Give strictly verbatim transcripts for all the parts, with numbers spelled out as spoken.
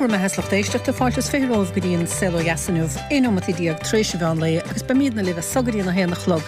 bhur mbeatha is lucht éisteachta, fáilte is fiche romhaibh go dtí an Saol Ó Dheas inniu, aon neomat déag tar éis an mheán lae agus beimidne libh as so go dtí an a haon a chlog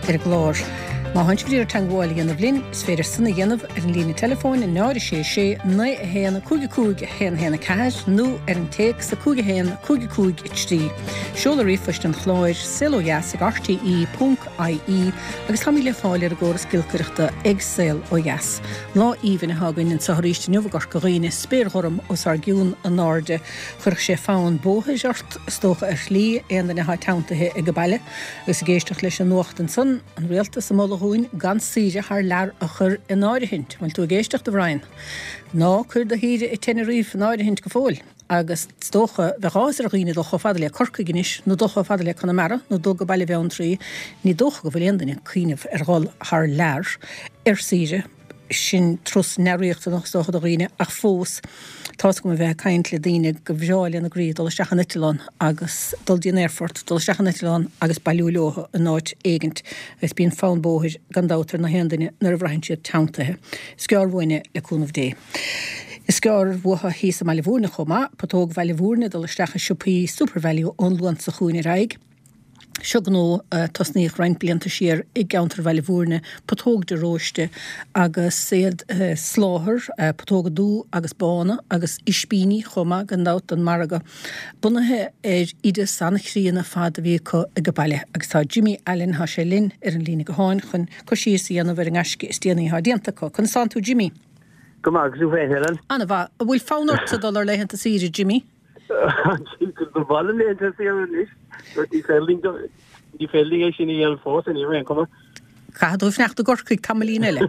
ar an gclár. Má tánn sibh ag iarraidh teagmháil a dhéanamh linn, is féidir san a dhéanamh ar an líne teileafóin náid a sé sé naoi a haon cúig a cúig a haon a haon a ceathair nó ar an téacs a cúig a haon cúig a cúig a trí. Seoladh ríomhphoist an chláir, saolodheas ag rte ponc ie agus táimid le fáil ar an gcóras giolcaireachta ag Saol Ó Dheas. Lá aoibhinn atá againn anseo arís inniu i gCorca Dhuibhne, spéir ghorm os ár gcionn in airde. Chuirfeadh sé fonn bóthair ort, is dócha, ar shlí, aon duine atá teanntaithe ag baile agus ag éisteacht leis an nuacht ansan, an rialtas ag moladh dhúinn gan saoire thar lear a chur in áirithint. Bhfuil tú ag éisteacht, a Bhrian? Ná cuir do shaoire i Tenerife in áirithint go fóill. Agus is dócha, bheadh áthas ar dhaoine dul chomh fada le Corcaigh anois, nó dul chomh fada le Conamara, nó dul go Baile Bheanntraí. Ní dócha go bhfuil aon duine ag cuimhneamh ar dhul thar lear ar saoire. Sin turas neamhriachtanach, is dócha, do dhaoine, ach fós, tá's agam ó bheith ag caint le daoine gur bhreá lena gcroí dul isteach in eitleán agus dul dtí an aerfort, dul isteach in eitleán agus bailiú leo in áit éigint agus bíonn fonn bóthair gan dabht ar na haon duine nuair a bhraitheann siad teanntaithe. Is gearr uainn é, le cúnamh Dé. Is gearr uathu thíos i mBaile Bhúirne chomh maith, Putóg Bhaile Bhúirne ag dul isteach i siopaí Supervalu ón Luan seo chugainn ar aghaidh. Seo gnó a tosnaíodh roinnt blianta siar i gceantar Bhaile Bhúirne, Putóg de Róiste, agus iad ag soláthar putóga dubha agus bána agus ispíní chomh maith gan dabht don margadh, bunaithe ar oideas an-chríonna fad a bhí acu ag baile. Agus tá Jimmy Allen, tá sé linn ar an líne gutháin chun cur síos a dhéanamh ar an ngaisce is déanaí atá déanta acu. Conas tánn tú Jimmy? Go maith, agus tú féin, Helen? An-mhaith. An bhfuil fonn ortsa dul ar laethanta saoire, Jimmy? Ba mhaith liom laethanta saoire anois. Ní féidir linn ní féidir linn é sin a dhéanamh fós, ar aon chuma. Caithfidh tú fanacht i gCorcaigh tamaillín eile.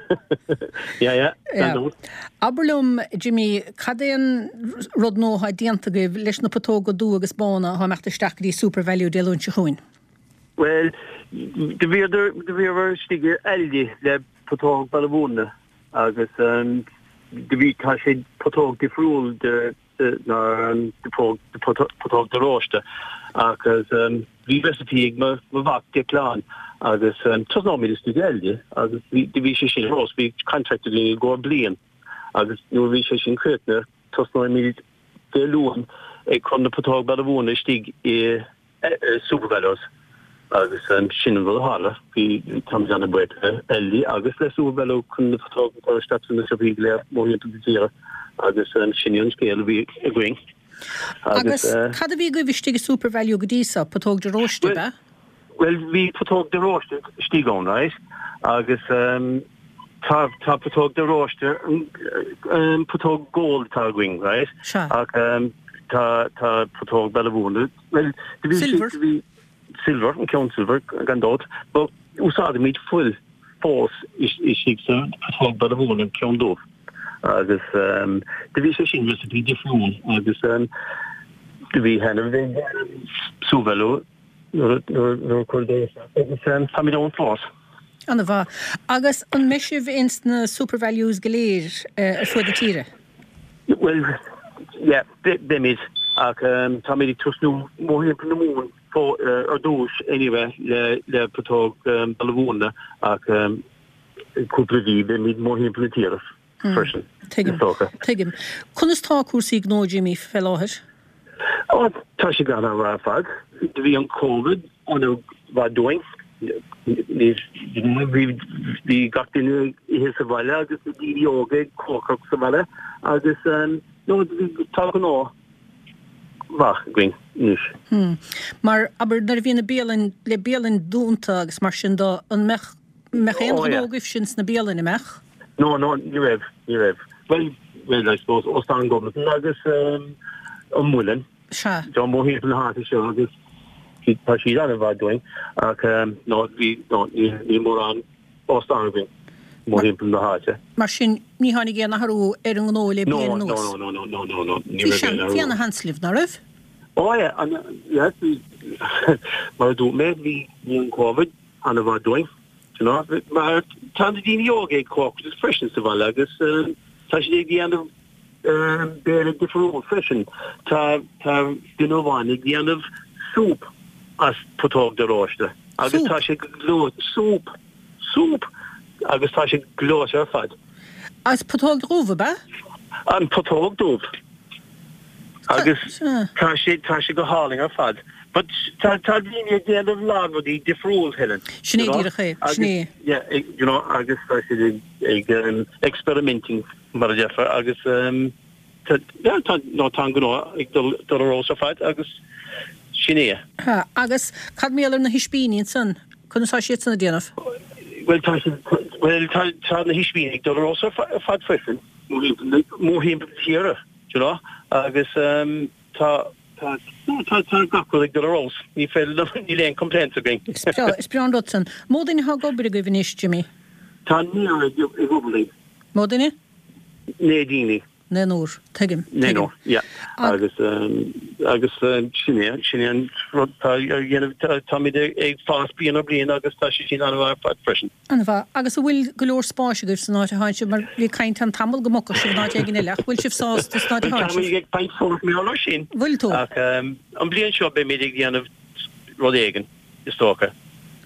Yeah, yeah, gan dabht. Abair liom, Jimmy, cad é an rud nua atá déanta agaibh leis na putóga dubha agus bána atá ag imeacht isteach go dtí Supervalu Dé Luain seo chugainn? Bhuel, do bhíodar, do bhíomar istigh i Aldi le putóg Baile Bhúirne agus do bhí, tá sé putóg difriúil de ná an putóg de Róiste agus bhí recipe ag mo mhac Declan agus tosnóimid istigh i Aldi agus do bhí sé sin rós, bhí contract againn i gcomhair bliain agus nuair a bhí sé sin críochnaithe tosnóimid Dé Luain ag cur na putóg Baile Bhúirne istigh i Supervalus agus sin an rud a tharla. Bhí táimid an-bhuíoch le Aldi agus le Supervalu chun na putóga a chur isteach sna siopaí go léir mórthimpeall na tíre agus sin é an scéal a bhí againn. Agus cad a bhí agaibh istigh i Supervalu go dtí seo? Putóg de Róiste, ab ea? Bhuel, bhí putóg de Róiste istigh ann, right? Agus tá tá putóg de Róiste, putóg gold atá againn, right? Sea. Ach tá tá putóg Baile Bhúirne, bhuel, do bhí Silver. do bhí silver, an ceann silver, gan dabht, but úsáidimid fuil fós istigh sa putóg Baile Bhúirne, an ceann dubh. Agus do bhí sé sin recipe difriúil agus do bhí taitneamh ag Supervalu nuair a cuireadh é isteach agus táimid ann fós. An-mhaith. Agus an mbeidh sibh ins na Supervalus go léir ar fuaid na tíre? Bhuel, yeah, beimid. Ach táimid ag tosnú mórthimpeall na Mumhan ar dtús anyway le le putóg Baile Bhúirne ach cúpla mhí beimid mórthimpeall na tíre freisin, Tuigim, is dócha. tuigim. Conas tá cúrsaí gnó, Jimmy, fé láthair? Ó, tá sé go han-mhaith ar fad. Do bhí an Covid an-mhaith dúinn. Ní, bhí, bhí gach duine ag ithe sa bhaile agus na daoine óga ag cócaireacht sa bhaile agus no, bhí, tá gnó maith againn anois. Hmm. Mar, abair, nuair a bhí na bialainn, le bialainn dúnta agus mar sin de, an mbeadh, mbeadh aon Oh, ghnó yeah. agaibh sin sna bialainn, an mbeadh? No, no, ní raibh, ní raibh. Bhuel, bhuel, I suppose, Óstán Gomeldon agus um, an Muileann. Sea. Tá mórthimpeall na háite seo agus tá siad an-mhaith dúinn ach um, no, bhí, no, ní, ní mórán óstán againn mórthimpeall na háite. Mar sin, ní tháinig aon athrú ar an ngnó le No, bliain no, anuas? no, no, no, no, no, no, ní Bhí raibh sean, aon bhí athrú. ana-sheans libh, ná raibh? Oh yeah, an, yes, bhí, mar a dúirt mé, bhí, bhí an Covid an-mhaith dúinn. You know, mar tá na daoine óga ag cócaireacht freisin sa bhaile agus um, tá siad ag déanamh um, béile difriúil freisin. Tá tá duine amháin ag déanamh súp as putóg de Róiste agus Súp? tá sé gleoite súp súp agus tá sé gleoite ar fad. As putóg dhubh, ab ea? An putóg dubh. Agus tá sé tá sé go hálainn ar fad. But tá tá daoine ag déanamh a lán rudaí difriúil Helen. Sin é díreach é, sin é. Yeah, you know, agus tá siad ag um, experimenting mar a déarfá agus um, tá yeah, tá no tá an gnó ag dul dul ar fheabhas ar fad agus sin é. Ha, agus cad mar gheall ar na hispíní ansan? Conas tá siad san ag déanamh? Well tá well tá tá na hispíní ag dul ar fheabhas ar fad freisin mórthimpeall na tíre, you know, agus um, tá tá tá tá gach rud ag dul ar fheabhas ní féidir níl aon complaints againn. Is breá is breá an rud san. Mó duine atá ag obair agaibh anois, Jimmy? Tá naonúr ag obair linn. Mó duine? Naoi daoine. Naonúr, tuigim. Naonúr, yeah. Agus um, agus um, sin é sin é an rud tá táimid ag fás bliain ar bliain agus tá sé sin an-mhaith ar fad freisin. An-mhaith. Agus an bhfuil go leor spáis agaibh san áit atá sibh mar bhí caint ann tamall go mbogfadh sibh in áit éigin eile ach bhfuil sibh sásta san áit atá sibh? Táimid ag caint fós mar gheall sin. Bhfuil tú? Ach um, an bliain seo beimid ag déanamh rud éigin is dócha.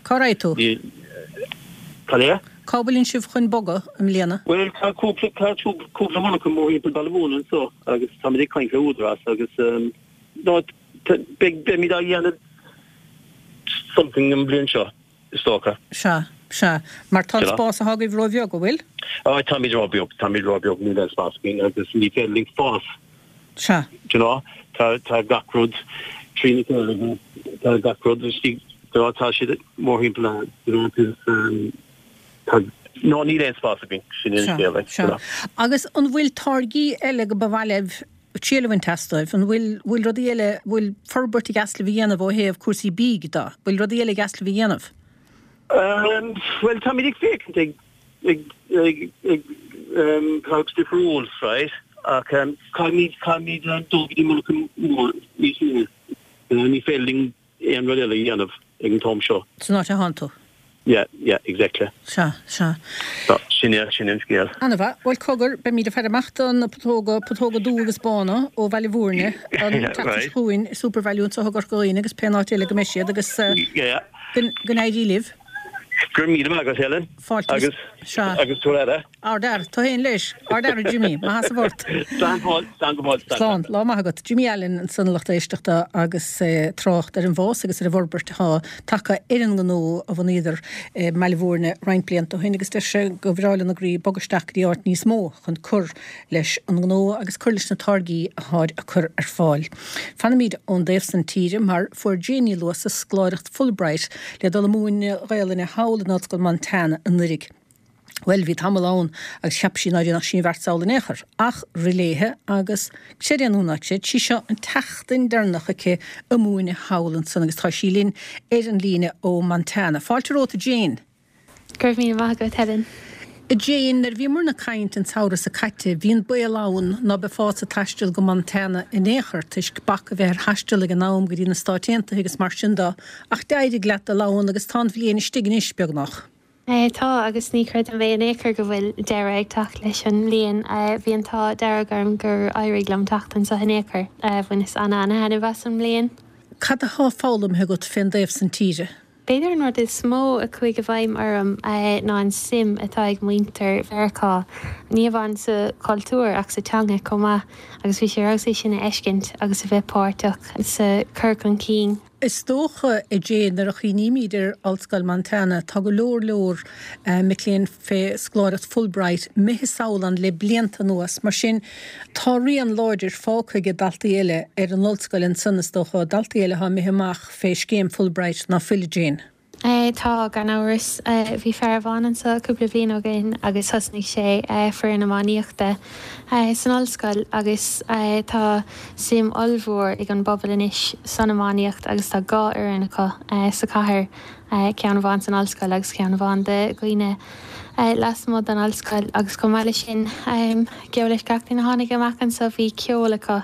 Cá raibh tú? Cad é? Cá bhfuil sibh chun bogadh i mbliana? Well tá cúpla tá cúpla monarcha mórthimpeall Baile Mhúirne anseo agus táimid ag caint le údarás agus um, no beimid á dhéanamh something an bliain seo is dócha. Sea, sea. Mar tá spás atá agaibh róbheag, an bhfuil? Á táimid róbheag, táimid róbheag níl aon spás againn agus ní féidir linn fás. Sea. Do you know, tá tá gach rud trína chéile tá gach rud istigh tá siad mórthimpeall you know, um, tá no níl aon spás againn sin an scéal Sea. Agus an bhfuil táirgí eile go ba mhaith libh triail a bhaint astu, an bhfuil bhfuil rudaí eile bhfuil forbairt i gceist libh a dhéanamh ó thaobh cúrsaí bídh de, bhfuil rudaí eile i gceist libh a dhéanamh? Um, well táimid ag féachaint ag ag ag ag um, products difriúil, right? Ach um, caithfimid caithfimid um, dul go dtí monarcha mór níos mó. Uh, ní féidir linn aon rud eile a dhéanamh ag an t-am seo. San áit atá tú? Yeah, yeah, exactly. Sea, sea. So, sin é sin an scéal. An-mhaith, bhuel cogar beimid ag faire amach do na putóga putóga dubha agus bána ó Bhaile Mhúirne an tseachtain seo chugainn i SuperValu anseo i gCorca Dhuibhne agus pén áit eile go mbeidh siad agus uh, Yeah. go go n-éirí libh. Go raibh míle maith agat Helen. Fáilte Agus Sea. agus tú eile. Ardfhear, tú féin leis, ardfhear Jimmy, maith as a bhort. Slán fáil, slán go fóill, Slán, lá maith agat. Jimmy Allen ansan a lucht éisteachta agus eh, trácht ar an bhfás agus ar an bhforbairt atá tagtha ar an ngnó a bhunaíodar eh, Baile Mhúirne roinnt blianta ó shin agus deir sé gur bhreá lena gcroí bogadh isteach go dtí áit níos mó chun cur leis an ngnó agus cur leis na táirgí atá á cur ar fáil. Fanfaimid ón dtaobh san tíre mar fuair Jane Ní Luasa scoláireacht Fulbright le dul ag múineadh Gaelainne thall in Ollscoil Montana anuraidh. Well bhí tamall ann agus cheap sí ná déanfadh sí an bheart sall in aon chor, ach rith léithe agus creid é nó ná creid sí seo an tseachtain deireanach aici ag múineadh thall ansan agus tá sí linn ar an líne ó Montana. Fáilte romhat Jane. Go raibh míle maith agat Helen. Jane, nuair a bhíomar ag caint an samhradh seo caite, bhí an baol ann ná beifeása ag taisteal go Montana in aon chor toisc bac a bheith ar thaisteal ag an am go dtí na Stáit Aontaithe agus mar sin de, ach d'éirigh leat dul ann agus tá an bhliain istigh anois beagnach. Eh, tá agus ní chreidim é in aon chor go bhfuil deireadh ag teacht leis an mbliain bhí an t-ádh dearg orm gur éirigh liom teacht anseo in aon chor bhaineas an-an-taitneamh as an mbliain. Cad atá foghlamtha agat fén dtaobh san tíre? B'fhéidir an rud is mó a chuaigh i bhfeidhm orm ná an suim atá ag muintir Mheiriceá. Ní amháin sa chultúr ach sa teanga chomh maith agus bhí sé ar é sin a fheiscint agus a bheith páirteach sa chur chun cinn. Is dócha a Jane nuair a chuimhnímid ar Ollscoil Montana tá go leor leor uh, mic léinn fé scoláireacht Fulbright imithe sall ann le blianta anuas, mar sin tá rian láidir fágtha ag daltaí eile ar an ollscoil ansan is dócha daltaí eile atá imithe amach fé scéim Fulbright ná fuil Jane. Eh, tá gan amhras bhí fear amháin anseo cúpla bliain ó shin agus thosnaigh sé foireann iománaíochta san ollscoil agus tá suim ollmhór ag an bpobal anois san iománaíocht agus tá dhá fhoireann acu sa chathair ceann amháin san ollscoil agus ceann amháin do dhaoine lasmuigh den ollscoil agus chomh maith leis sin geall leis gach duine a tháinig amach anseo bhí ceol acu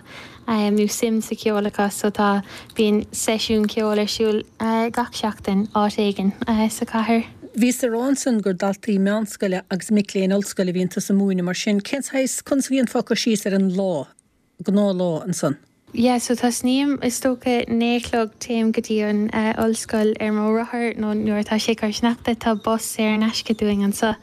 nó suim sa cheol acu so tá bíonn seisiún ceoil ar siúl gach seachtain áit éigin sa chathair. Bhíos ag rá ansan gur daltaí meánscoile agus mic léinn ollscoile a bhíonn tusa ag múineadh mar sin, cén saghas conas a dhéanfá cur síos ar an lá, gnáthlá ansan. Yeah, so tosnaím is dócha naoi a chlog téim go dtí an ollscoil ar mo rothar nó nuair atá sé ag cur sneachta tá bus saor in aisce dúinn anseo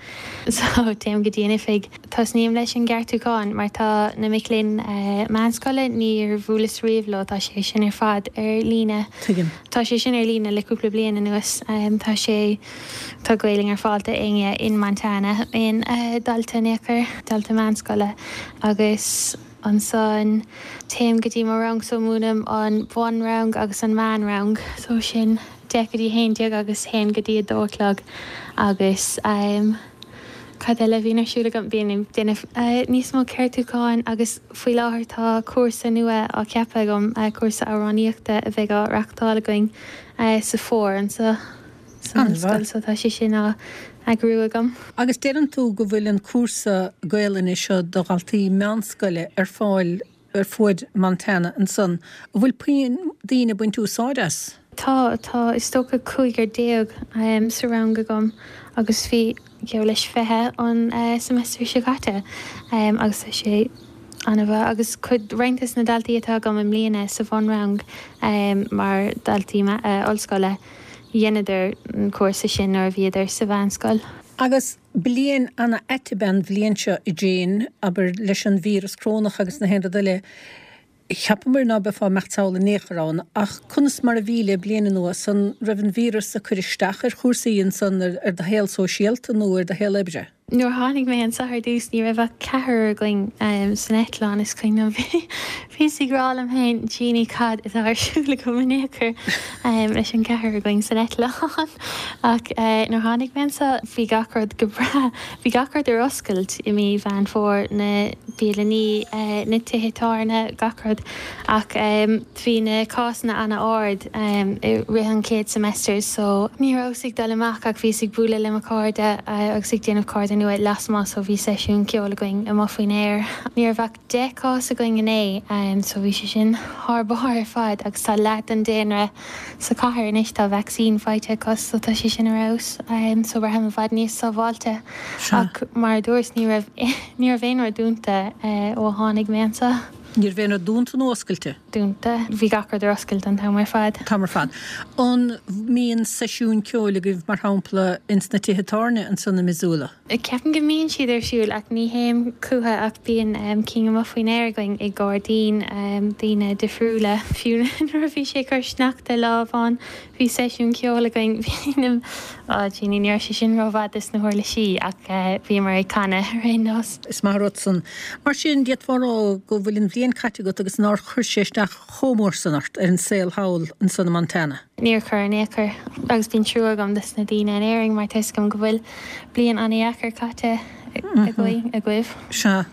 so téim go dtí an oifig. Tosnaím leis an gceartúchán mar tá na mic léinn meánscoile níor bhuaileas riamh leo tá sé sin ar fad ar líne. Tuigim. Tá sé sin ar líne le cúpla bliain anuas tá sé tá Gaelainn ar fáil d'éinne in Montana aon dalta in aon chor, dalta meánscoile agus Ansan téim go dtí mo rang so múinim an bunrang agus an meánrang so sin deich go dtí haon déag agus haon go dtí a dó a chlog agus ehm cad eile a bhíonn ar siúl agam bíonn ag déanamh níos mó ceartúcháin agus faoi láthair tá cúrsa nua á cheapadh agam cúrsa amhránaíochta a bheidh á reachtáil againn sa fómhar anseo. san ollscoil so tá sé sin á eagrú agam. Agus deireann tú go bhfuil an cúrsa Gaelainne seo do dhaltaí meánscoile ar fáil ar fuaid Montana ansan. An bhfuil puinn daoine ag baint úsáid as? Tá, tá is dócha cúigear déag sa rang agam agus bhí geall leis fiche an semester seo caite agus tá sé an-mhaith agus cuid, roinnt des na daltaí atá agam i mbliana sa bhunrang mar dhaltaí ollscoile, Dheineadar an cúrsa sin nuair a bhíodar sa mheánscoil. Agus bliain ana-ait ab ea an bhliain seo, a Jane, abair, leis an víreas corónach agus na haon rud eile. Cheapamar ná beifeá ag imeacht sall in aon chor ann, ach conas mar a bhí le bliain anuas? An raibh an víreas ag cur isteach ar chúrsaí ansan, ar do shaol sóisialta nó ar do shaol oibre? Nuair a tháinig mé anseo ar dtús ní raibh ach ceathrar againn san eitleán is cuimhin liom bhíos ag rá liom féin Jeannie cad atá ar siúl agam in aon chor leis an ceathrar againn san eitleán ach nuair a tháinig mé anseo bhí gach rud go breá bhí gach rud ar oscailt i mí Mheán Fómhair na bialannaí na tithe tábhairne gach rud ach bhí na cásanna ana-ard i rith an chéad semester so ní rabhas ag dul amach ach bhíos ag bualadh le mo chairde agus ag déanamh cairde nua lasmuigh so bhí seisiún ceoil againn amuigh faoin aer. Ní raibh ach deich cás againn inné so bhí sé sin thar barr ar fad agus tá leath den daonra sa chathair anois tá vacsaín faighte acu so tá sé sin ar fheabhas so braithim i bhfad níos sábháilte ach mar a dúras ní raibh ní raibh aon rud dúnta ó tháinig mé anseo. Ní raibh aon rud dúnta nó oscailte? Dúnta. Bhí gach rud ar oscailt an t-am ar fad. T-am ar fad. An mbíonn seisiúin ceoil agaibh, mar shampla, ins na tithe tábhairne ansan i Missoula? Ceapaim go mbíonn siad ar siúl ach ní théim chucu ach bíonn cinn amuigh faoin aer againn i ngairdín daoine difriúla. Fiú nuair a bhí sé ag cur sneachta lá amháin bhí seisiún ceoil againn. Bhí na, oh Jeannie, ní raibh sé sin rómhaith dos na huirlisí ach bhíomar ag canadh ar aon nós. Is maith an rud san. Mar sin, d'fhéadfá a rá go bhfuil an bhliain caite agat agus nár chuir sé isteach chomh mór san ort ar an saol thall ansan i Montana. Níor chuir in aon chor. Agus bíonn trua agam dos na daoine in Éirinn mar tá 'fhios agam go bhfuil bliain an-dheacair caite agaibh, agaibh. Sea.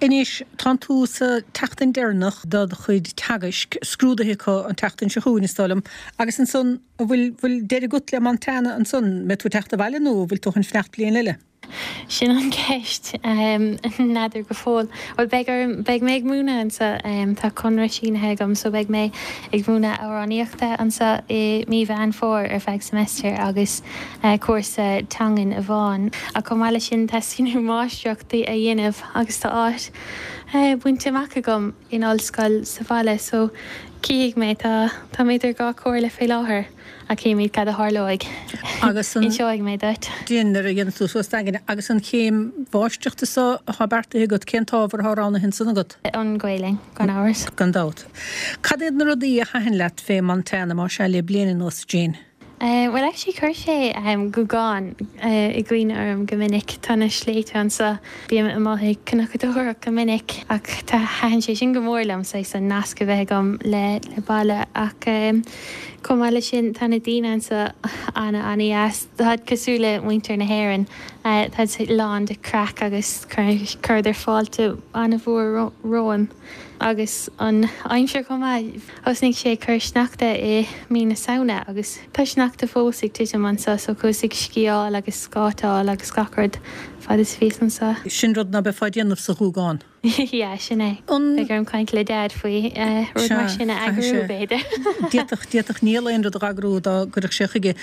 Anois, tánn tú sa tseachtain deireanach de do chuid teagaisc, scrúduithe acu an tseachtain seo chugainn, is dóigh liom, agus ansan, an bhfuil, bhfuil deireadh agat le Montana ansan? Mbeidh tú ag teacht abhaile nó an bhfuil tú chun fanacht bliain eile? Sin an cheist. N'fheadar go fóill. Bhuel, beidh orm, beidh mé ag múineadh anseo. Tá conradh sínithe agam so beidh mé ag múineadh amhránaíochta anseo i mí Mheán Fómhair ar feadh semester agus cúrsa teangan amháin. Ach chomh maith leis sin teastaíonn uaim máistreacht a dhéanamh agus tá áit bainte amach agam in ollscoil sa bhaile so cífidh mé, tá, tá mé idir dhá chomhairle fé láthair. Ach cífimid cad a tharlóidh. Agus an. Inseoidh mé duit. Din, nuair a dhéanfas tú suas d'aigne. Agus an chéim mháistreachta so atá beartaithe agat, cén t-ábhar atá roghnaithe ansan agat? An Ghaelainn, gan amhras. Gan dabht. Cad iad na rudaí a thaitin leat fé Montana, más ea, le bliain anuas, Jane? Bhuel, actually chuir sé Gougán i gcuimhne orm go minic. Tá na sléibhte anseo. Bím amuigh ag cnocadóireacht go minic ach tá, thaitin sé sin go mór liom, saghas an nasc a bheith agam le le baile ach chomh maith leis sin tá na daoine anseo ana ana dheas. Táid cosúil le muintir na hÉireann, táid lán de craic agus chuireadar fáilte ana mhór romham agus an aimsir chomh maith. Thosnaigh sé ag cur sneachta i mí na Samhna agus tá sneachta fós ag titim anseo so chuas ag sciáil agus scátáil agus gach rud fad is a bhíos anseo. Sin rud ná beifeá ag déanamh sa Ghúgán. Yeah, sin é. An. Beidh orm caint le Dad faoi rud Sea, mar sin a caithfidh eagrú, sé. b'fhéidir. D'fhéadfadh, d'fhéadfadh Niall aon rud a eagrú dá gcuirfeadh sé chuige.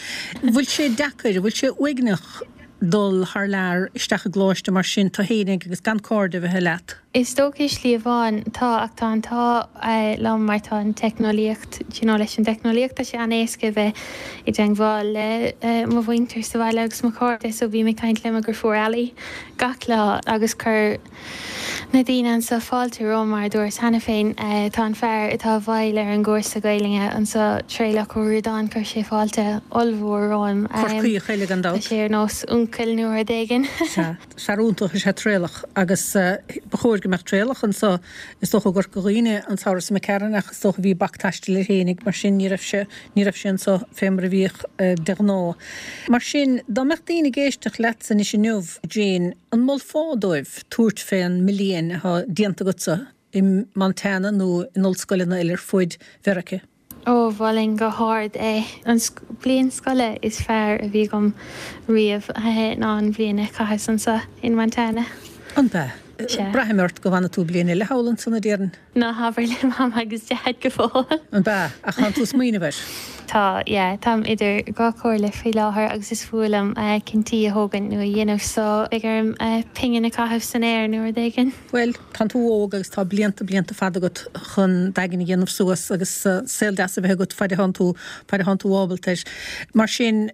Bhfuil sé deacair, bhfuil sé uaigneach dul thar lear isteach i gcoláiste mar sin, tú fhéinig agus gan cairde a bheith leat? Is dócha slí amháin tá ach tá an t-ádh liom mar tá an teicneolaíocht you know leis an teicneolaíocht tá sé an-éasca bheith i dteagmháil le mo mhuintir sa bhaile agus mo chairde so bím ag caint le mo dheirfiúr Ali gach lá agus chuir na daoine anseo fáilte romham mar a dúras cheana féin tá an fear atá i bhfeighil ar an gcúrsa Gaelainne anseo Traolach Ó Ríordáin chuir sé fáilte ollmhór romham. Corcaíoch eile gan dabht. Tá sé ar nós uncail nó rud éigin. Sea. Fear iontach is ea Traolach agus ba chóir go mbeadh Traolach anseo is dócha i gCorca Dhuibhne an samhradh seo imigh tharainn ach is dócha bhí bac taistil air fhéinig mar sin ní raibh sé ní raibh sé anseo fé mar a bhíodh de ghnáth. Mar sin dá mbeadh daoine ag éisteacht leatsa anois inniu Jane, an molfá dóibh tabhairt fén mbliain atá déanta agatsa i Montana nó in ollscoileanna eile ar fuaid Mheiriceá? Ó, mholfainn go hard é. An bhliain scoile is fearr a bhí agam riamh ná an bhliain a chaitheas anseo in Montana. An b'ea? Sea. Braithim ort go bhfanfaidh tú bliain eile thall ansan a déarfainn. Ná habair le Mam agus Deaid go fóill. An b'ea? Ach tánn tú ag smaoineamh air? Tá, yeah. Táim idir dhá chomhairle faoi láthair agus is fuath liom cinntí a thógaint nó a dhéanamh so beidh orm pingin a chaitheamh san aer nó rud éigin. Bhuel, tánn tú óg agus tá blianta, blianta fada agat chun d'aigne a dhéanamh suas agus saol deas a bheith agat faid a thánn tú, faid a thánn tú ábalta air. Mar sin,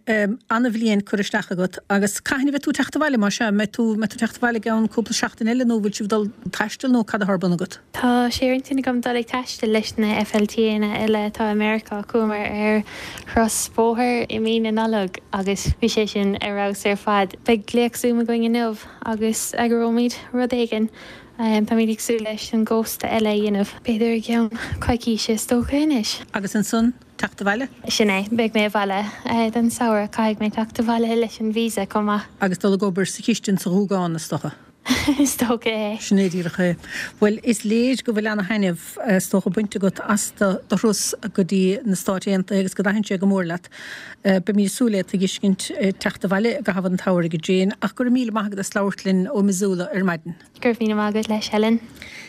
ana-bhliain curtha isteach agat agus cathain a bheidh tú ag teacht abhaile, más ea? An mbeidh tú, mbeidh tú ag teacht abhaile i gceann cúpla seachtain eile nó bhfuil sibh ag dul taisteal nó cad atá ar bun agat? Tá sé ar intinn agam dul ag taisteal leis na FLTanna eile atá i Meiriceá. Chuamar ar thuras bóthair i mí na Nollag agus bhí sé sin ar fheabhas ar fad. Beidh glaoch Zoom againn inniu agus eagróimid rud éigin. Táimid ag súil leis an gcósta eile a dhéanamh, b'fhéidir i gceann coicíse is dócha anois. Agus ansan, teacht abhaile? Sin é, beidh mé abhaile don samhradh, caithfidh mé teacht abhaile leis an visa chomh maith. Agus dul ag obair sa chistin sa Ghúgán, is dócha? Is dócha é. Sin é díreach é. Bhuel, is léir go bhfuil ana-thaitneamh, is dócha, bainte agat as do thuras go dtí na Stáit Aontaithe agus go dtaithin sé go mór leat. Beimid ag súil le tuiscint teacht abhaile i gcaitheamh an tsamhraidh, a Jane, ach go raibh míle maith agat as labhairt linn ó Missoula ar maidin. Go raibh míle maith agat leis, Helen.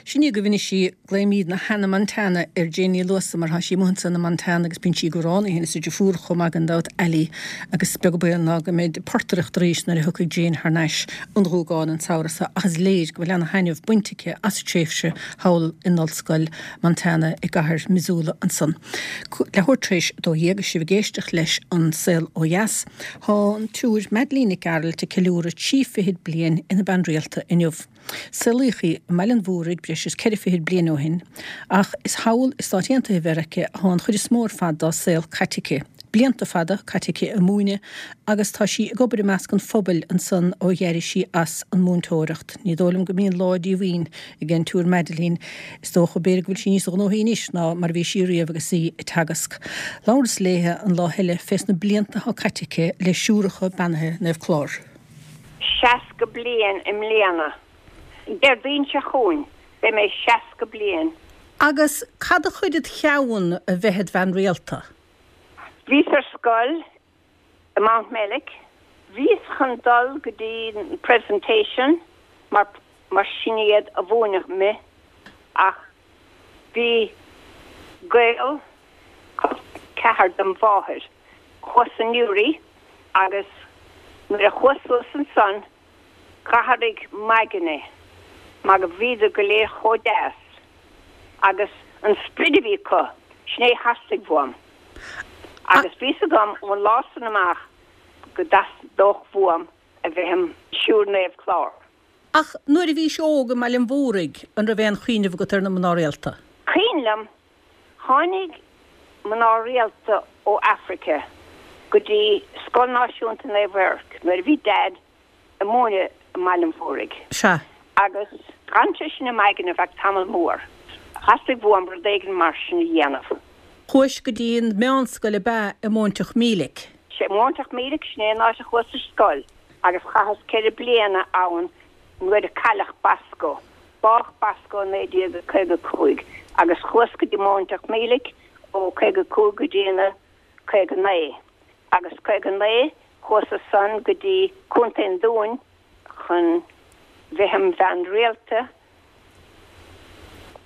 Sin í agaibh anois í, glaoimídne Hannah Montana ar Jane Ní Luasa mar tá sí amuigh ansan i Montana agus bíonn sí ag amhrán í féin is a deirfiúr chomh maith gan dabht, Ali, agus is beag an baol ná go mbeidh ag portaireacht arís nuair a thiocfaidh Jane thar n-ais ón Ghúgán an samhradh seo ach is léir go bhfuil ana-thaitneamh bainte aici as a tréimhse thall in Ollscoil Montana i gcathair Missoula ansan. Leathuair tar éis a dó dhéag agus sibh ag éisteacht leis An Saol Ó Dheas. Tá an tSiúr Madeleine Nic Gearailt ag ceiliúradh trí fichid bliain ina bean rialta inniu. Saolaíodh í i mBaile an Mhúraigh breis is ceithre fichid bliain ó shin, ach is thall i Stáit Aontaithe Mheiriceá atá an chuid is mó ar fad dá saol caite aici. Blianta fada caite aici ag múineadh agus tá sí ag obair i measc an phobail ansan ó d'éirigh sí as an múinteoireacht. Ní dóigh liom go mbíonn lá díomhaoin ag an tSiúr Madeleine. Is dócha, b'fhéidir go bhfuil sí níos gnóthaí anois ná mar a bhí sí riamh agus í ag teagasc. Labhras léithe an lá eile fés na blianta atá caite aici le Siúracha Beannaithe Naomh Clár. Seasca bliain i mbliana. Déardaoin seo chugainn, beidh mé seasca bliain. Agus cad a chuir id cheann a bheith id bhean rialta? Bhíos ar scoil i Mountmellick. Bhíos chun dul go dtí an Presentation mar mar sin iad a mhúineadh mé ach bhí gaol col ceathar dom mháthair thuas i Newry agus nuair a chuas suas ansan D'athraigh m'aigne mar go bhíodar go léir chomh deas agus an sprid a bhí acu, sin é a theastaigh uaim. Agus bhí 's agam ón lá san amach go dteastódh uaim a bheith im Shiúr Naomh Clár. Ach nuair a bhís óg i mBaile an Mhúraigh, an raibh aon chuimhneamh agat ar na mná rialta? Cuimhin liom, tháinig mná rialta ó Afraice go dtí Scoil Náisiúnta Naomh Eirc nuair a bhí Daid ag múineadh i mBaile an Mhúraigh. Sea. Agus d'fhan sé sin im aigne ar feadh tamall mór. Theastaigh uaim rud éigin mar sin a dhéanamh. Chuais go dtí an mheánscoil ab ea i Móinteach Mílic? Sea, Móinteach Mílic, sin é an áit a chuas ar scoil agus chaitheas ceithre bliana ann nuair a cailleadh Bosco. Bádh Bosco i naoi déag caoga cúig agus chuas go dtí Móinteach Mílic ó caoga cúig go dtí na caoga naoi. Agus caoga naoi chuas ansan go dtí Contae an Dúin chun bheith im bhean rialta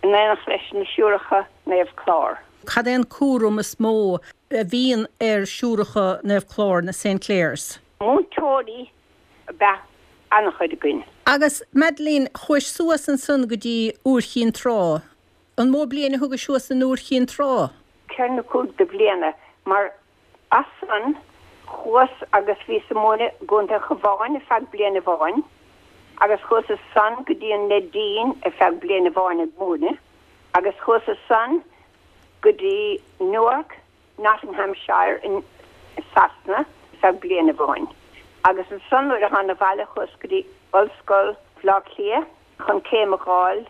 in éineacht leis na Siúracha Naomh Clár. Cad é an cúram is mó a bhíonn ar Siúracha Naomh Clár, na Saint Clares? Múinteoirí ab ea an-chuid againn. Agus Madeleine, chuais suas ansan go dtí Iúr Chinn Trá. An mó bliain a thugais suas in Iúr Chinn Trá? Ceithre nó cúig de bhliana, mar as san chuas agus bhíos ag múineadh i gContae an Chabháin ar feadh bliain amháin agus chuas as san go dtí an Neidín ar feadh bliain amháin ag múineadh agus chuas as san go dtí Newark, Nottinghamshire in Sasana ar feadh bliain amháin. Agus ansan nuair a thána abhaile chuas go dtí Ollscoil Bhaile Átha Cliath chun céim a dh'fháil,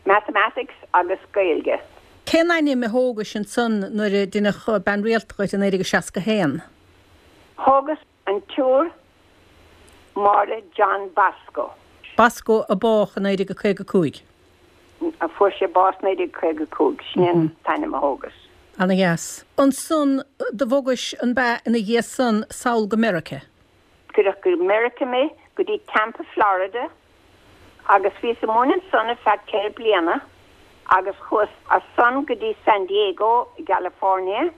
Mathematics agus Gaeilge. Cén ainm a thógais ansan nuair a deineadh bean rialta dhuit i naoi déag a seasca haon? Thógas an tSiúr Máire John Bosco. Bosco a bádh i naoi déag a caoga cúig. A fuair sé bás naoi déag caoga cúig, sin é an t-ainm a thógas. Ana dheas. Ansan do bhogais an b'ea ina dhiaidh san sall go Meirice? Cuireadh go Meirice mé, go dtí Tampa, Florida, agus bhíos ag múineadh ansan ar feadh ceithre bliana agus chuas as san go dtí San Diego i gCalifornia.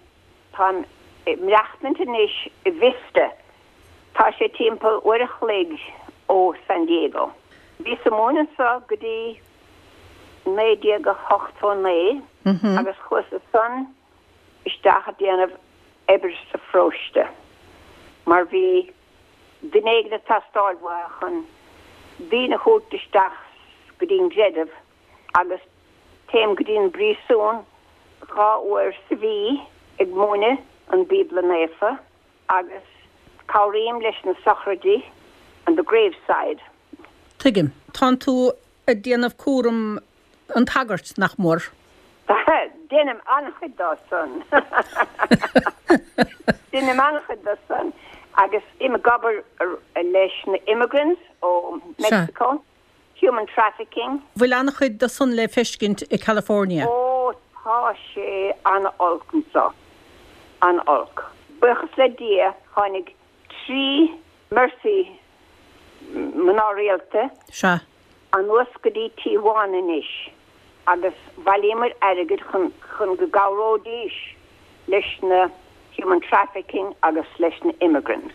Táim ag maireachtaint anois i Vista. Tá sé timpeall uair a chloig ó San Diego. Bhíos ag múineadh anso go dtí naoi déag a hochtó naoi agus chuas as san isteach ag déanamh oibre sa pharóiste mar bhí duine éigin ag teastáil uathu chun daoine a thabhairt isteach go dtí an gcreideamh agus téim go dtí an bpríosún dhá uair sa mhí ag múineadh an Bíobla Naofa agus cabhraím leis na sochraidí on the graveside. Tuigim. Tánn tú ag déanamh cúram an tsagairt, nach mór? Déanaim an-chuid dó san. Déanaim an-chuid dó san agus im ag obair leis na immigrants ó Mexico, human trafficking. Bhfuil an-chuid de san le feiscint i California? Ó tá sé an-olc anso. An-olc. Buíochas le Dia tháinig trí Mercy mná rialta. Sea. Anuas go dtí Tijuana anois agus bhailíomar airgead chun chun go gcabhróidís leis na human trafficking agus leis na immigrants.